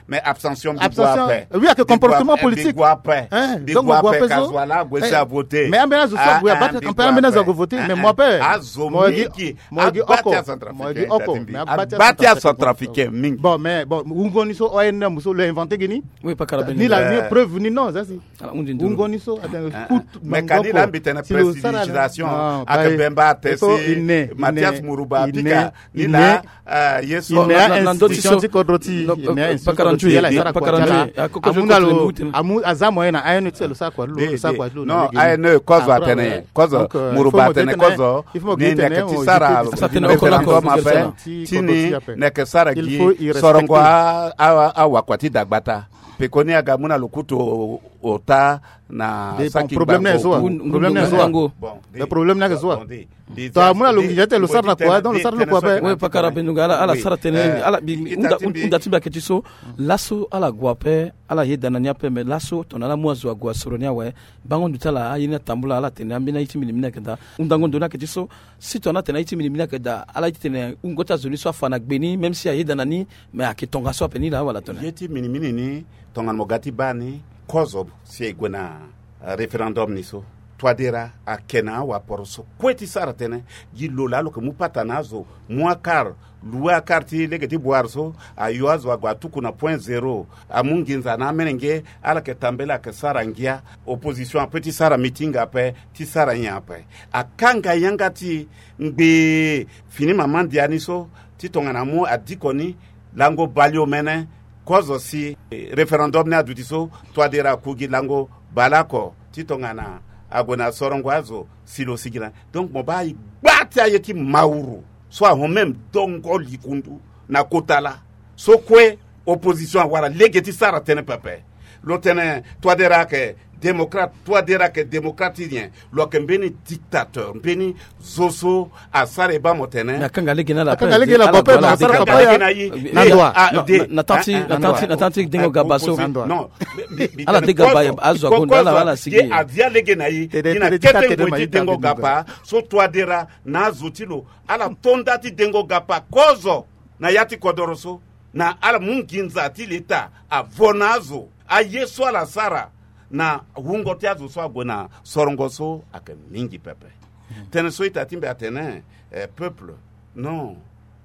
Mais abstention mbi gue ape. Oui, ayeke comportement politique. Mbi gue ape. Donc mbi gue ape so. Kazo ala ague si avote. Mais ambeni azo so ague abata campagne, ambeni azo ague vote. Mais mo ape azo mingi. Mo gi oko, mo gi oko, mais agba ti acentrafricain mingi. Bon, mais bon, wungo ni so O N M so lo invente gi ni. Oui, pakara Bendunga. Ni la ni preuve ni non, ça si. Ala hundi nduru. Wungo ni so atene kutu. Mais kani la mbi tene prestidigitation ayeke Bemba atene si Mathias Muruba apika ni la. Ye so na ndö ti so ti kodro ti. Pakara nzui, pakara nzui. Amu na lo, amu aza moyen na A N E ti lo sara kua lo, lo sara kua lo. Non, A N E kozo atene, kozo Muruba atene kozo ni neke ti sara référendum ape ti ni neke sara gi sorongo awakua ti dagbata. Pekoni aga mu na lo kutu ota na saki problème na ye so wa. Problème na ye so wa. Bon, problème na ye so wa. To amu na lo nginza ti tene lo sara na kua, donc lo sara lo kua ape. Oui, pakara Bendunga, ala sara tënë ni, ala bi hunda ti mbi ayeke ti so. Laso ala gue ape, ala yeda na ni ape, mais laso tongana ala mu azo ague asoro ni awe. Bango ndo ti ala aye ni atambula, ala tene ambeni aye ti mbi ni mbi ni ayeke daa. Hundango ndo ni ayeke ti so. Si tongana atene aye ti mbi ni mbi ni ayeke daa, ala ye ti tene wungo ti azo ni so afa na gbe ni, même si ayeda na ni, mais ayeke tongaso ape ni laa wala tongana ye ti mbi ni mbi ni ni. Tongana mo ga ti baa ni, kozo si e gue na référendum ni so, Touadéra ayeke na awaporo so kue ti sara tënë. Gi lo laa lo yeke mu pata na azo, mu akar, loue akar ti lege ti boire so, ayo azo ague atuku na point zéro, amu nginza na amolenge. Ala yeke tambela ayeke sara ngia. Opposition ape ti sara meeting ape, ti sara nyen ape. Akanga yanga ti ngbee fini mama ndia ni so, ti tongana amu adiko ni, lango baleomene, kozo si référendum ni aduti so, Touadéra aku gi lango baleoko ti tongana ague na sorongo azo si lo sigi na. Donc mo baa e gba ti aye ti mawuru so ahon même dongo likundu na kota laa. So kue opposition awara lege ti sara tënë pepe. Lo tene Touadéra ayeke démocrate, Touadéra ayeke démocrate ti nyen? Lo yeke mbeni dictateur, mbeni zo so asara e baa mo tene. Mais akanga lege na ala ape. Akanga lege na ala ape, mais asara kapa ya na ndua. Na tanga ti dengo gaba so. Ala de gaba azo agonda ala ala sigi. Avia lege na ye. Ni na kete ngoi ti dengo gaba so Touadéra na azo ti lo ala to nda ti dengo gaba kozo na ya ti kodoro so. Na ala mu nginza ti leta avo na azo, aye so ala sara na wungo ti azo so ague na sorongo so ayeke mingi pepe. Tënë so ita ti mbi atene, eh, peuple, non.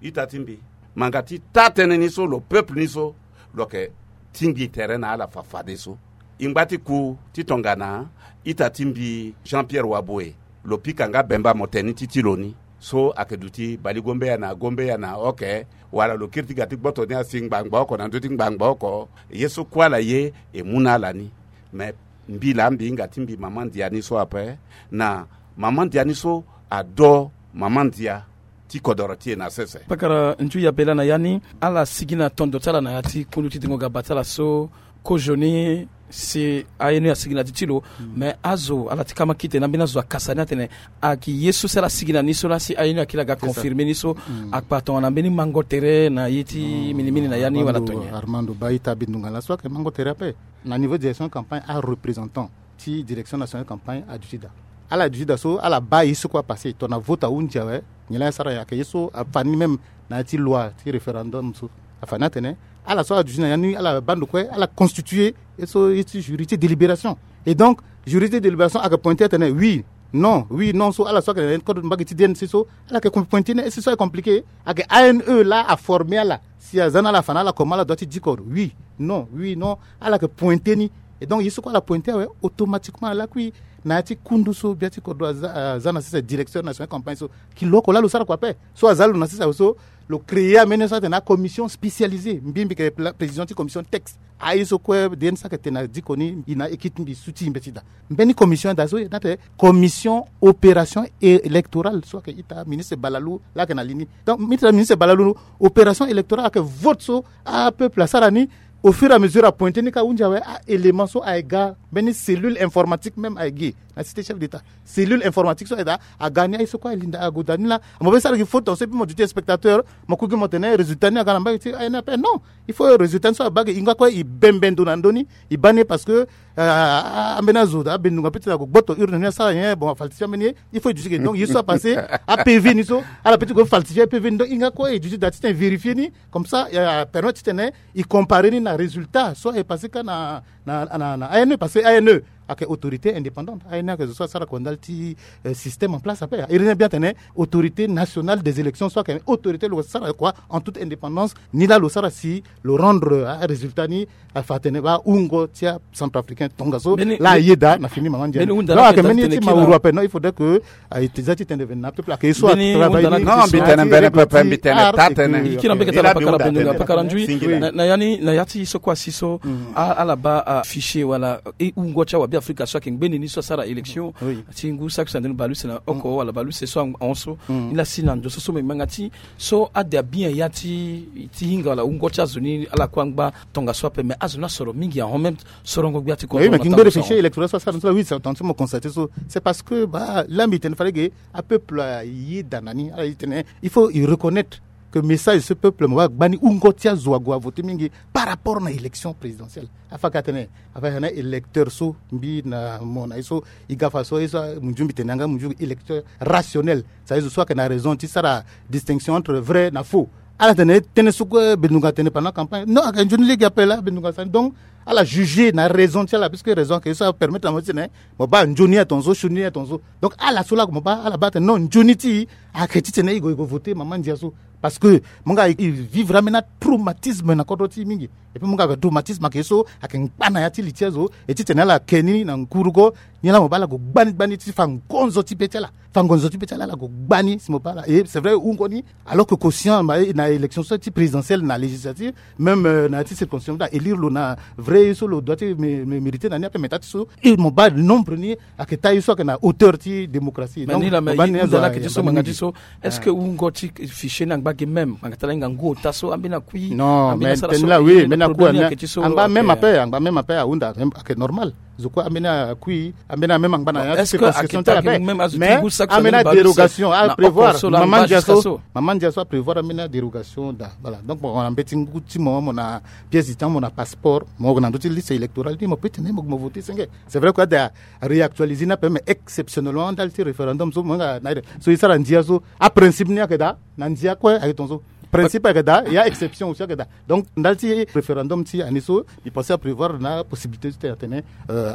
Ita ti mbi, manga ti taa tënë ni so lo peuple ni so lo yeke tingbi tere na ala fafadeso. E ngba ti ku ti tongana ita ti mbi Jean Pierre Waboe, lo pika nga Bemba Motene ti ti lo ni so ayeke duti Bali Gombeya na Gombeya na oke, wala lo kiri ti ga ti gboto ni asi ngbangba oko na ndö ti ngbangba oko. Ye so kue ala ye e mu na ala ni. Me mbi laa mbi hinga ti mbi mama ndia ni so ape, na mama ndia ni so ado mama ndia ti kodoro ti e na sese. Pakara nju ya bela na ya ni, ala sigi na tondo ti ala na ya ti kundu ti dengo gaba ti ala so. Kozoni si aye ni asigi na ti ti lo. Mais azo ala ti kama kite na mbeni azo akasa ni atene, ayeke ye so si ala sigi na ni so laa si aye ni akiri aga confirmer ni so. Akpa tongana mbeni mango tere na ye ti minimini na ya ni wala tonye. Armando, ba ita bindunga laso ayeke mango tere ape. Na niveau direction campagne, areprésentant ti direction nationale campagne aduti daa. Ala duti daa so ala baa ye so kue apasse tongana vote ahunzi awe. Nyen laa asara? Ayeke ye so afa ni même na ya ti loi ti référendum so. Afa ni atene ala so aduti na ya ni ala baa ndo kue, ala constituer ye so ye ti jury ti délibération. Et donc jury ti délibération ayeke pointer atene oui, non, oui, non so ala so ayeke na ya ti code mbage ti D N C so, ala yeke pointer ni. Ye so ayeke compliqué, ayeke A N E laa aformer ala. Si aza na ala afa na ala comment ala doit ti diko oui, non, oui, non. Ala yeke pointer ni. Et donc ye so kue ala pointer awe, automatiquement ala kui na ya ti kundu so bia ti kodro aza na sese directeur national campagne so. Kilo oko laa lo sara kua ape. So aza lo na sese awe so, lo créer ambeni ye so atene commission spécialisée. Mbi mbi yeke président ti commission texte. Aye so kue D N C ayeke tene na diko ni, e na équipe ti mbi su ti e mbeti daa. Mbeni commission daa so e na tene commission opération électorale so ayeke ita ministre Balalou laa ayeke na li ni. Donc ministre balalou, opération électorale ayeke vote so apeuple asara ni. Au fur et à mesure apointer ni ka ahunzi awe, a élément so aye ga mbeni cellule informatique même aye gi na cité chef d'état. Cellule informatique so aye daa aga ni aye so kue alinda agoda ni laa. Mo be sara gi faute ton so epi mo duti spectateur, mo kugi mo tene résultat ni aga na mbage ti aye ni ape. Non, il faut résultat ni so abaa ge e nga kue e bembe ndo na ndö ni. E baa ni parce que ambeni azo daa abendunga peut-être ague gboto urne ni asara nyen, bon afaltifie ambeni ye. Il faut e duti ge donc ye so apasse, apv ni so ala peut-être gue faltifie apv ni. Donc e nga kue e duti daa ti tene vérifier ni. Comme ça e permettre ti tene e comparer ni na résultat so aye passe ka na na na na ane parce que ane ayeke autorité indépendante. Ane ayeke zo so asara kua ndali ti système en place ape. Iri ni bien tene autorité nationale des élections so ayeke autorité lo sara kua en toute indépendance. Ni laa lo sara si lo rendre arésultat ni. Afa atene baa hungo ti acentrafricain tongaso laa ayeda na fini mama ndia. Ayeke mbeni ye ti mauru ape. Non, il faudrait que aye ti za ti tene vene na peuple ayeke ye so atravaille ni. Non, mbi tene mbene pepe mbi tene taa tene. Kira mbeketa la pakara bendo na pakara ndui. Na ya ni na ya ti so kua si so ala baa afichier wala e hungo ti awabe afrika so ayeke ngbeni ni so asara élection ti ngu saki sandeni baleuse na oko wala baleuse so ahon so. Ni laa si na ndo so so me ngbanga ti so ade abin ya ti hinga wala hungo ti azo ni ala kue angba tongaso ape mais azo ni asoro mingi ahon même. Sorongo gbia ti kodro. Ngbere fichier électoral so asara ni so la oui c'est attention mo constate so c'est parce que baa laa mbi tene fade ge apeuple ayeda na ni ala ye tene il faut e reconnaître que message so peuple mo baa gbani hungo ti azo ague avote mingi par rapport na élection présidentielle. Afa ka tene afa na électeur so mbi na mo na ye so e ga fa so ye so munzu mbi tene yanga munzu électeur rationnel. Sa ye zo so ayeke na raison ti sara distinction entre vrai na faux. Ala tene tënë so kue bendunga atene pendant campagne non ayeke nzoni lege ape laa bendunga asara ni donc ala juger na raison ti ala puisque raison ayeke ye so apermettre na mo ti tene mo baa nzoni atongaso sioni atongaso. Donc ala so laa mo baa ala baa atene non nzoni ti e ayeke titene e gue e gue voter mama ndia so. Parce que mo nga e vivre ambeni atraumatisme na kodro ti e mingi. Et puis mo nga ayeke traumatisme ayeke ye so ayeke ngba na ya ti li ti azo. E titene ala ke ni na ngurugo ni laa mo baa ala gue gbani gbani ti fa ngonzo ti be ti ala. Fa ngonzo ti be ti ala ala gue gbani si mo baa ala e c'est vrai e hungo ni. Alors que conscient na élection so ti présidentielle na législative même na ya ti circonscription ti ala élire lo na vrai ye so lo doit ti mériter na ni ape mais taa ti so e mo baa nombre ni ayeke taa ye so ayeke na hauteur ti démocratie. Donc mo baa ni azo ayeke ti so manga ti so. Est-ce que hungo ti fichier ni angba ge même ngbanga ti ala hinga ngu ota so ambeni akui? Non mais tene laa oui mbeni akui angba même ape angba même ape ahunda ayeke normal. Zo kue ambeni akui ambeni ameme angba na ya ti circonscription ti ala ape. Mais ambeni adérogation aprévoir mama ndia so mama ndia so aprévoir ambeni adérogation daa. Voilà donc mo na mbeti ngu ti mo mo na pièce d'identité mo na passeport mo na ndö ti liste électorale ni mo peut tene mo voter senge. C'est vrai que ada réactualiser ni ape mais exceptionnellement ndali ti référendum so mo nga na ire so e sara ndia so. Aprincipe ni ayeke daa na ndia kue ayeke tongaso. Principe ayeke daa ya exception aussi ayeke daa. Donc ndali ti référendum ti année so e pensé aprévoir na possibilité ti tene atene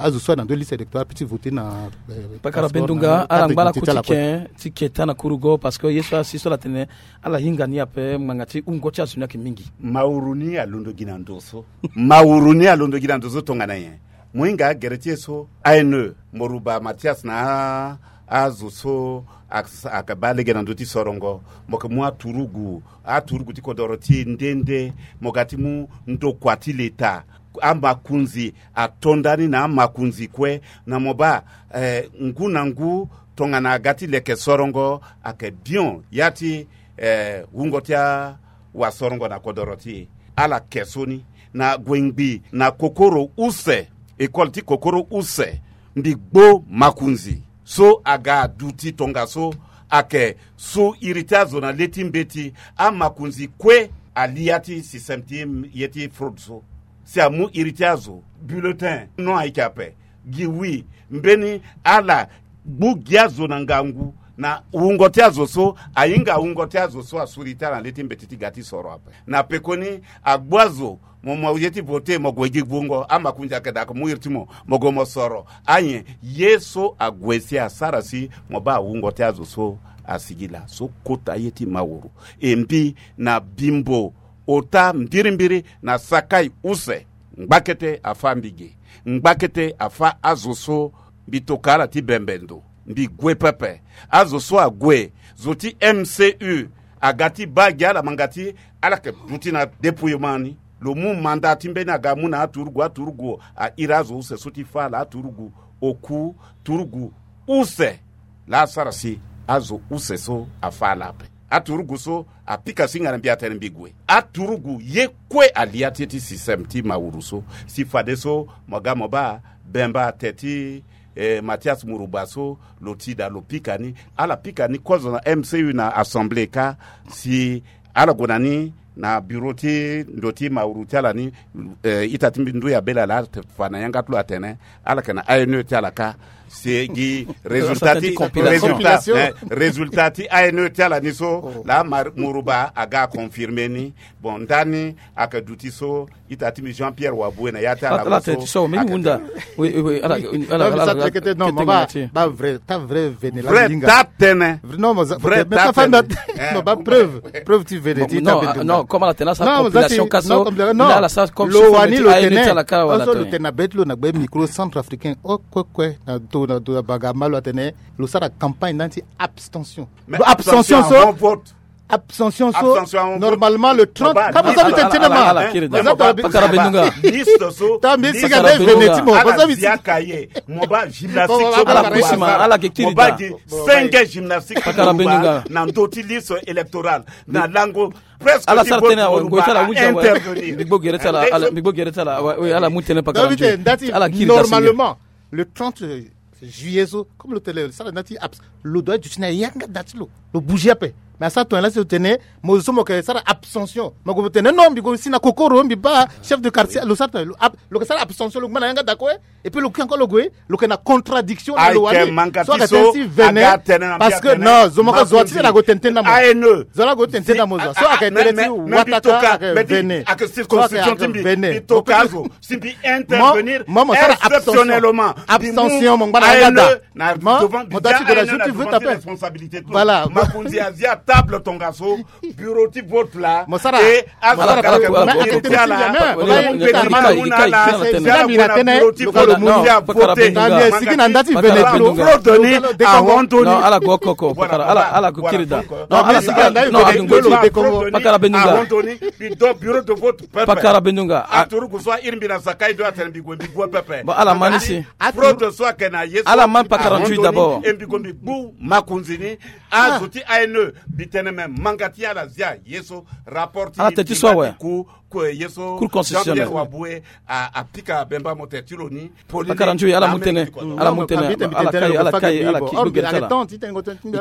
azo so ayeke na ndö liste électorale apeut ti voter na. Pakara bendunga ala ngba ala ku ti ken ti keta na kurugo parce que ye so asi so ala tene ala hinga ni ape ngbanga ti hungo ti azo ni ayeke mingi. Mauru ni alondo gi na ndo so mauru ni alondo gi na ndo so tongana nyen? Mo hinga agere ti e so ane moruba mathias na azo so ayeke baa lege na ndö ti sorongo. Mo yeke mu aturugu aturugu ti kodoro ti e nde nde. Mo ga ti mu ndokua ti leta. Amakunzi ato ndani na amakunzi kue na mo baa ngu na ngu Tongana aga ti leke sorongo ayeke bion ya ti, eh, wungo ti awasorongo na kodoro ti e. Ala ke so ni na gue ngbii na kokoro use, ekole ti kokoro use, mbi gbo makonzi so aga aduti tongaso ayeke su iri ti azo na le ti mbeti. Amakonzi kue ali ya ti système ti ye ti fraude so. Si amu iri ti azo, bulletin non ayeke ape, gi wi, mbeni ala gbu gi azo na ngangu na wungo ti azo so, ahinga wungo ti azo so asuri ti ala na le ti mbeti ti ga ti soro ape. Na pekoni agbu azo, mo mo ye ti vote, mo gue gi wungo, amakonzi ayeke daa mo mu iri ti mo, mo gue mo soro. Anyen, ye so ague si asara si mo baa wungo ti azo so asigi laa so kota ye ti mawuru. E mbi na bimbo ota mbirimbiri na sakai use. Ngbakete afâ mbi ge. Ngbakete afâ azo so mbi toka ala ti bembe ndo. Mbi gue pepe. Azo so ague, zo ti M C U aga ti baa gi ala manga ti ala yeke duti na dépouillement ni. Lo mu manda ti mbeni aga mu na aturugu, aturugu airi azo use so ti fâ ala, aturugu oku, turugu use. Laa asara si azo use so afâ ala ape. Aturugu so apika singa na mbi atene mbi gue. Aturugu ye kue ali ya ti ye ti système ti mawuru so. Si fadeso mo ga mo baa bemba ate ti, eh, Mathias Muruba so lo ti daa lo pika ni. Ala pika ni kozo na M C U na assemblée kâ. Si ala gue na ni na bureau ti ndo ti mawuru ti ala ni, eh, ita ti mbi nduya bela laa ate fa na yanga ti lo atene ala yeke na A N E ti ala kâ. Si gi résultat ti, résultat, eh, résultat ti A N E ti ala ni so laa Muruba aga aconfirmer ni. Bon, ndani ayeke duti so ita ti mbi Jean Pierre Waboué na ya ti ala so. Ala tene ti so mbi hunda. Oui, oui, oui, ala, ala, ala, ala, non, kete mo ba, ba vrai, ta vrai vene la vrai linga. Ta tene. Non, mo za, vrai, mais ta fa na, eh, mo ba preuve, preuve ti vene ti ta non, non, comme ala tene asara compilation kâ so, non, ala sara comme lo wani lo tene ti ala kâ wala so lo tene na be ti lo na gbe micro centrafricain. O kue kue na to na to na banga malo atene lo sara campagne ndani ti abstention. Mais abstention so, abstention so, normalement le trente. Kama za mi tene tene ma. Pakara Bendunga. Liste so, ta mbi siga nde vene ti mo. Ala zia kaye. Mo ba gymnastique so, ala kusima, ala ke kiri da. Cinq gymnastique. Pakara Bendunga. Na ndo ti liste électorale. Na lango presque ala sara tene awe, ngoi ti ala wuza awe. Intervenir. Mbi gbo gere ti ala, ala, mbi gbo gere ti ala, awe, oui, ala mu tene pakara nzoi. Ala kiri da si. Normalement, le trente juillet so, comme lo tene lo sara na ti abs-, lo doit duti na yanga da ti lo. Lo bouger ape. Mais asara tongana laa si lo tene mo zo so mo yeke sara abstention. Mo gue mo tene non, mbi gue si na kokoro, mbi baa chef de quartier, lo sara tongana lo ab-, lo yeke sara abstention, lo gba na yanga da kue. Et puis lo kiri encore lo gue, lo yeke na contradiction na lo wani. So ayeke tene ti vene. Parce que non, zo moko zo ti tene na gue tene ti na mo. A N E. Zo la gue tene ti na mo zo. So ayeke tene ti wataka ayeke vene. Ayeke circonscription ti mbi. Mbi toka azo. Si mbi intervenir exceptionnellement, abstention, mo ngba na yanga da. Mo doit ti de la joute, ti vote ape. Voilà. Makonzi azia table tongaso, bureau ti vote la. Mo sara. E azo akala ke mo ti ala. Mo na bureau ti vote. Sigi na nda ti vene ti lo. Fraude ni ahon toni. Ala gue oko oko. Ala gue kiri da. Ala sigi na nda ti vene ti lo. Pakara Bendunga. Bureau de vote pepe. Pakara Bendunga. Aturugu so airi mbi na sakai do atene mbi gue mbi gue pepe. Bon, ala ma ni si. Fraude so ayeke na ye so. Ala ma pakara nzui d'abord. E mbi gue mbi gbu makonzi ni. Azo ti A N E mbi tene me manga ti ala zia ye so. Rapport ti ala tene ti so awe. Ku, ku ye so. Cour constitutionnelle. Jean-Pierre Waboué a, apika Bemba mo tene ti lo ni. Pakara nzui, ala mu tene. Ala mu tene. Ala kai, ala kai, ala ki gbe gere ti ala.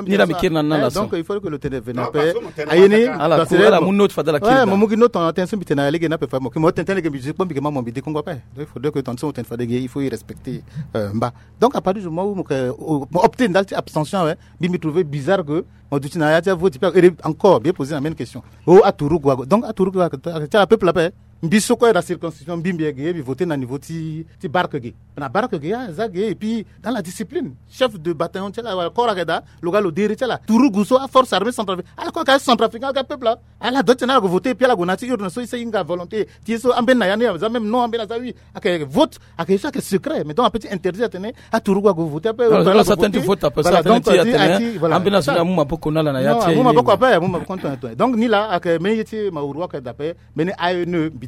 Ni la mbi kiri na na la so. Donc il faut que lo tene vene ape. Aye ni. Ala ku, ala mu note fade ala kiri. Mo mu gi note tongana tënë so mbi tene na lege ni ape fa mo. Mo tene tënë lege mbi zi kpo mbi ke ma mo mbi dekongo ape. Donc il faudrait que tongana so mo tene fade ge il faut y respecter, euh, mba. Donc à partir du moment où mo ke, mo opte ndali ti abstention awe, mbi mbi trouver bizarre que mo duti na ya ti avote ti pe encore bien poser na même question. Oh, aturugu ague. Donc aturugu ague ti ala peuple ape. Mbi so kue na circonscription mbi mbi ayeke ye mbi voter na niveau ti, ti barque ge. Na barque ge aza ge et puis dans la discipline. Chef de bataillon ti ala wala corps ayeke daa lo ga lo dere ti ala. Turugu so aforce armée centrafricaine ala kue ayeke aye centrafricain ala ga peuple la. Ala doit ti tene ala gue voter et puis ala gue na ya ti urne so e sara e hinga volonté ti ye so ambeni na ya ni aza même non ambeni aza oui. Ayeke vote ayeke ye so ayeke secret mais donc ape ti interdit atene aturugu ague voter ape. Voilà donc ti atene ambeni azo ni amu maboko na ala na ya ti aye. Amu maboko ape amu maboko. Donc ni la ayeke mbeni ye ti mawuru ayeke daa ape. Mbeni A N E mbi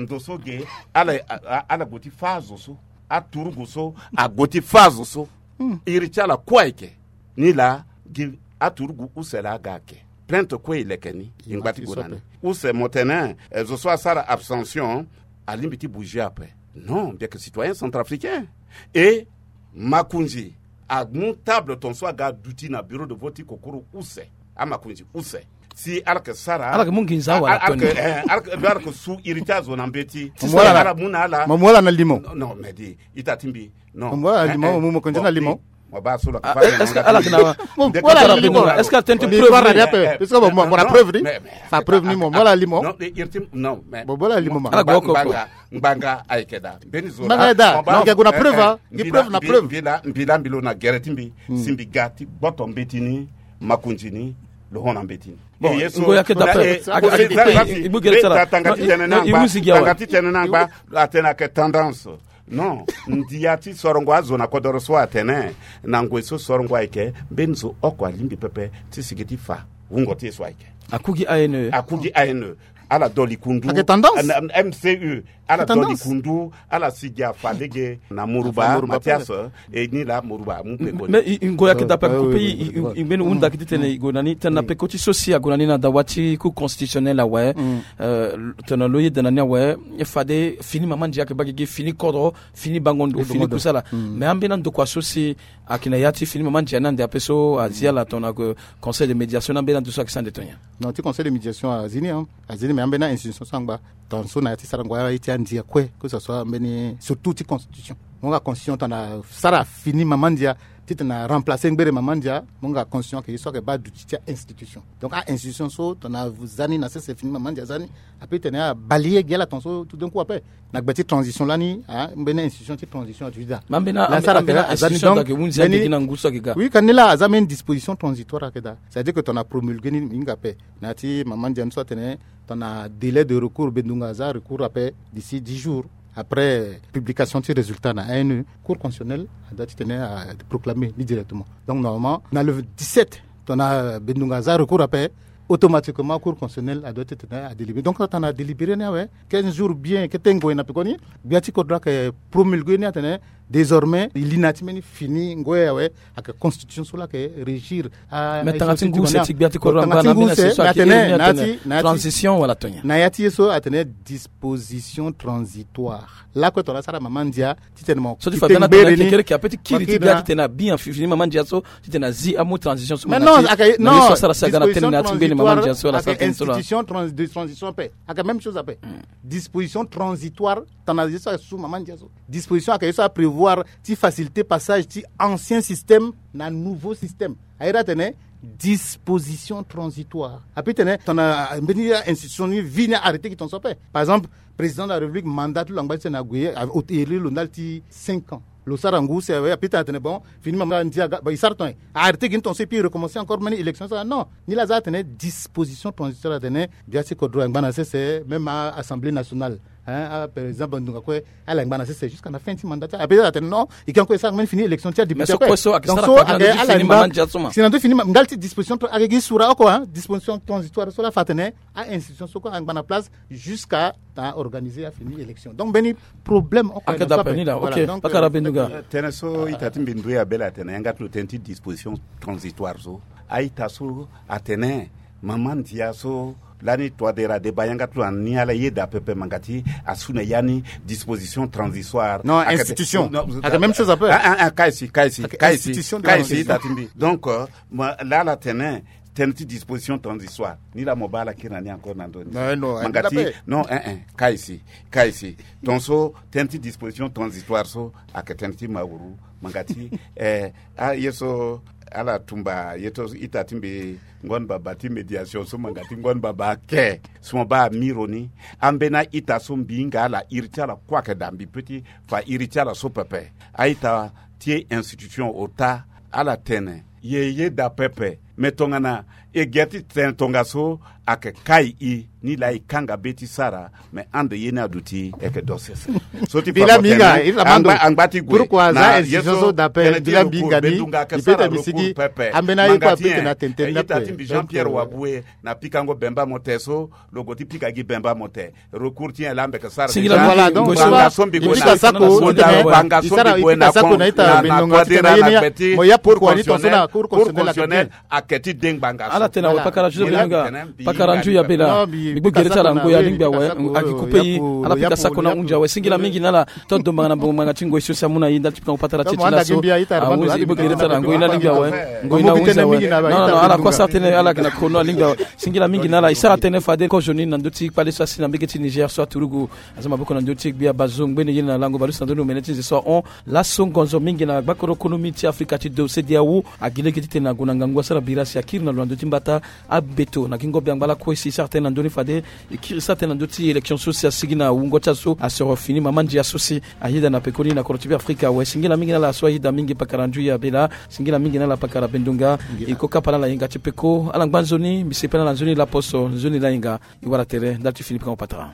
ndo so ge, ala, a- a- ala gue ti fâ azo so. Aturugu so ague ti fâ azo so. Iri ti ala kue ayeke. Nilaa gi aturugu use laa aga ayeke. Plainte kue e leke ni, e ngba ti gue na ni. Use mo tene, eh, zo so asara abstention alingbi ti bouger ape. Non, mbi yeke citoyen centrafricain. E makonzi amu table ton so aga aduti na bureau de vote ti kokoro use. Amakonzi use. Si ala yeke sara, ala yeke mu nginza wala ala yeke, toni, eh, ala yeke, ala yeke su iri ti azo na mbeti. Mo mu ala na limo. Non, non, mais di ita ti mbi. Non, mo mu ala na limo, mo mu mokonzi na limo. Mo baa so lo yeke fa. Est-ce que ala yeke na, est-ce que ala tene ti preuve ni ape? Est-ce que mo mu ala preuve ni? Sa preuve ni, mo mu ala na limo. Non, iri ti, non, mais mo mu ala na limo ma. Ala gue oko oko. Ngbanga ayeke daa. Mbeni zo ngbanga ayeke daa. Mo yeke gue na preuve, ah. Gi preuve na preuve. Mbi laa, mbi laa mbi lo na gere ti mbi. Si mbi ga ti gboto mbeti ni, makonzi ni, lo hon na mbeti ni. Bon, e ye so, ngo yake d'après. Tanga ti tene na ngba, tanga ti tene na ngba. Atene ayeke tendance. Non, ndia ti sorongo azo na kodoro so atene, na ngoi so sorongo ayeke, mbeni zo oko alingbi pepe ti sigi ti fa wungo ti ye so ayeke. Akugi A N E. Akugi A N E. Ala doli kundu. Ayeke tendance. M C U. Ala doli kundu, ala sigi afa lege na Moruba, Mathias, e ni laa Moruba amu peko ni. Mais i, i ngoi ayeke daa ape, ape i, i, i mbeni hunda ki ti tene i gue na ni, tene na peko ti so si ague na ni na dawa ti Cour constitutionnelle awe. Euh, tongana lo yeda na ni awe, fade fini mama ndia ayeke baa gigi, fini kodro, fini bango ndo, fini kusala. Mais ambeni andokua so si ayeke na ya ti fini mama ndia ni ande ape so azi ala tongana Conseil de médiation ni, ambeni ando so ayeke sara ande tongana nyen? Non, ti Conseil de médiation azi ni, hein. Azi ni, mais ambeni a-institution so angba. Tongaso na ya ti sarango aye ti andia kue, que ce soit mbeni surtout ti constitution. Mo nga constitution tongana sara fini mama ndia, ti tongana remplacer ngbere mama ndia, mo nga constitution ayeke ye so ayeke baa duti ti a-institution. Donc a-institution so tongana za ni na sese fini mama ndia za ni, ape tene abalayer gi ala tongaso tout d'un coup ape. Na gbe ti transition lani, ah, mbeni institution ti transition ati daa. Ma mbeni, la sara ambeni tena aza ni institution donc, ayeke hunzi mbeni ande gi na ngu so ayeke ga. Oui, ka ni la aza mbeni disposition transitoire ayeke daa. C'est-à-dire que tongana promulguer ni, ni hinga ape. Na ya ti mama ndia ni so atene, tongana délai de recours, bendunga aza recours ape d'ici dix jours. Après publication ti résultat na A N E, Cour constitutionnelle a doit ti tene a proclamer ni directement. Donc normalement na le dix-sept, tongana Bendunga aza recours ape, automatiquement Cour constitutionnelle a doit ti tene a délibéré. Donc tongana délibéré ni awe, quinze jours bien ke tengo na pekoni, gbia ti kodro ayeke promulgué ni atene désormais li na ti mbeni fini ngoi awe, ayeke constitution so laa ayeke régir. Mais tanga ti ngu use ti gbia ti kodro angba na mbeni use so ayeke iri ni atene transition wala tonye. Na ya ti ye so atene disposition transitoire. Lakue tongana asara mama ndia ti tene mo so ti fa bia na tene kekere ke ape ti kiri ti bia ti tene abi fini mama ndia so ti tene azi amu transition so. Mais non, na ye so asara si aga na tene na ya ti mbeni mama ndia so ala sara tene so la institution de transition ape. Ayeke même chose ape. Disposition transitoire. Tongana ye so ayeke su mama ndia so, disposition ayeke ye so aprévoir ti faciliter passage ti ancien système na nouveau système. Aye daa atene disposition transitoire. Ape ti tene tongana mbeni institution ni vi ni arrêté gi tongaso ape. Par exemple, président de la République mandat ti lo angba ti tene ague, iri lo ndali ti cinq ans. Lo sara ngu use awe, ape ti tene atene bon, fini mama ndia aga, bon, e sara tongana arrêté gi ni tongaso et puis recommencer encore mbeni élection so. Non, ni laa aza atene disposition transitoire, atene gbia ti kodro angba na sese, même assemblée nationale. Hein, ah, par exemple Bendunga kue ala ngba na sese jusqu'à la fin ti mandat ti ala. Ape ti atene non, e ke encore e sara mbeni fini élection ti adéputé. Mais so kue so ayeke sara pendant na ndö ti fini mama ndia so ma. Si na ndö ti fini ndali ti disposition ayeke gi sura oko, hein, disposition transitoire so laa afa atene a institution so kue angba na place jusqu'à ta organiser afini élection. Donc mbeni problème oko ayeke daa ape ni laa. Ok, pakara Bendunga. Tënë so ita ti mbi ndoye abela atene yanga ti lo tënë ti disposition transitoire so, a-ita so atene mama ndia so lani Touadéra adeba yanga ti lo na ni ala yeda pepe, manga ti asu na ya ni disposition transitoire. Non, institution. Ayeke même chose ape. Kaisi, kaisi, kaisi, kaisi, ita ti mbi. Donc laa ala tene tënë ti disposition transitoire ni laa mo baa ala kiri na ni encore na ndö ni. Manga ti non, eh eh, kaisi, kaisi. Tongaso tënë ti disposition transitoire so ayeke tënë ti mawuru. Manga ti eh, aye so ala tumba ye ti ita ti mbi, ngoni baba ti médiation so, manga ti ngoni baba ake so mo baa amiro ni. Ambeni a-ita so mbi hinga ala, iri ti ala kue ayeke daa, mbi peut ti fa iri ti ala so pepe. A-ita ti e institution ota, ala tene ye yeda pepe. Me tongana e ge ti tene tongaso ayeke kai e ni laa e kanga be ti sara. Me ande ye ni aduti e yeke do sese. So ti fa mo tene angba ti gue na ye so tene ti recours, Bendunga ayeke sara recours pepe. Manga ti e, ita ti mbi Jean Pierre Waboué na pikango Bemba Mote so, lo gue ti pika gi Bemba Mote. Recours ti nyen laa mbi yeke sara? Singila mingi. Banga so mbi gue na, banga so mbi gue na Touadéra na gbe ti Cour constitutionnelle. Cour constitutionnelle ayeke ti de ngbanga so. Ala tene awe pakara Joseph Bendunga, pakara nzui ya bela. Mbi gbu gere ti ala ngoi alingbi awe, agi kupe e, ala pika sako na hunzi awe. Singila mingi na ala ti dombanga na mbongo ngbanga ti ngoi so si amu na e ndali ti pikango patara ti e ti laso. Ahunzi, e gbu gere ti ala ngoi na alingbi awe. Ngoi na hunzi awe. Non, non, non, ala kue asara tënë, ala yeke na kono alingbi awe. Singila mingi na ala. E sara tënë fade kozoni na ndö ti kpale so asi na mbege ti Niger so aturugu aza maboko na ndö ti gbia bazo ngbene ye na lango baleuse na ndö ni omene ti nze so ahon. Laso ngonzo mingi na gbakoro konomi ti Afrika ti do, CEDEAO, agi lege titene ague na ngangu asara bira si akiri na lo na ndö ti mbata abeto na gingo biangba lakue si e sara tënë na ndö ni fade e kiri sara tënë na ndö ti élection so si asigi na wungo ti azo asoro fini mama ndia so si ayeda na pekoni na kodro ti Beafrika awe. Singila mingi na ala so ayeda mingi pakara nzui ya bela. Singila mingi na ala pakara Bendunga. E ko kapa na ala yenga ti peko. Ala ngba nzoni, mbi sepela na nzoni laposo, nzoni layenga. E wara tere ndali ti fini pikango patara.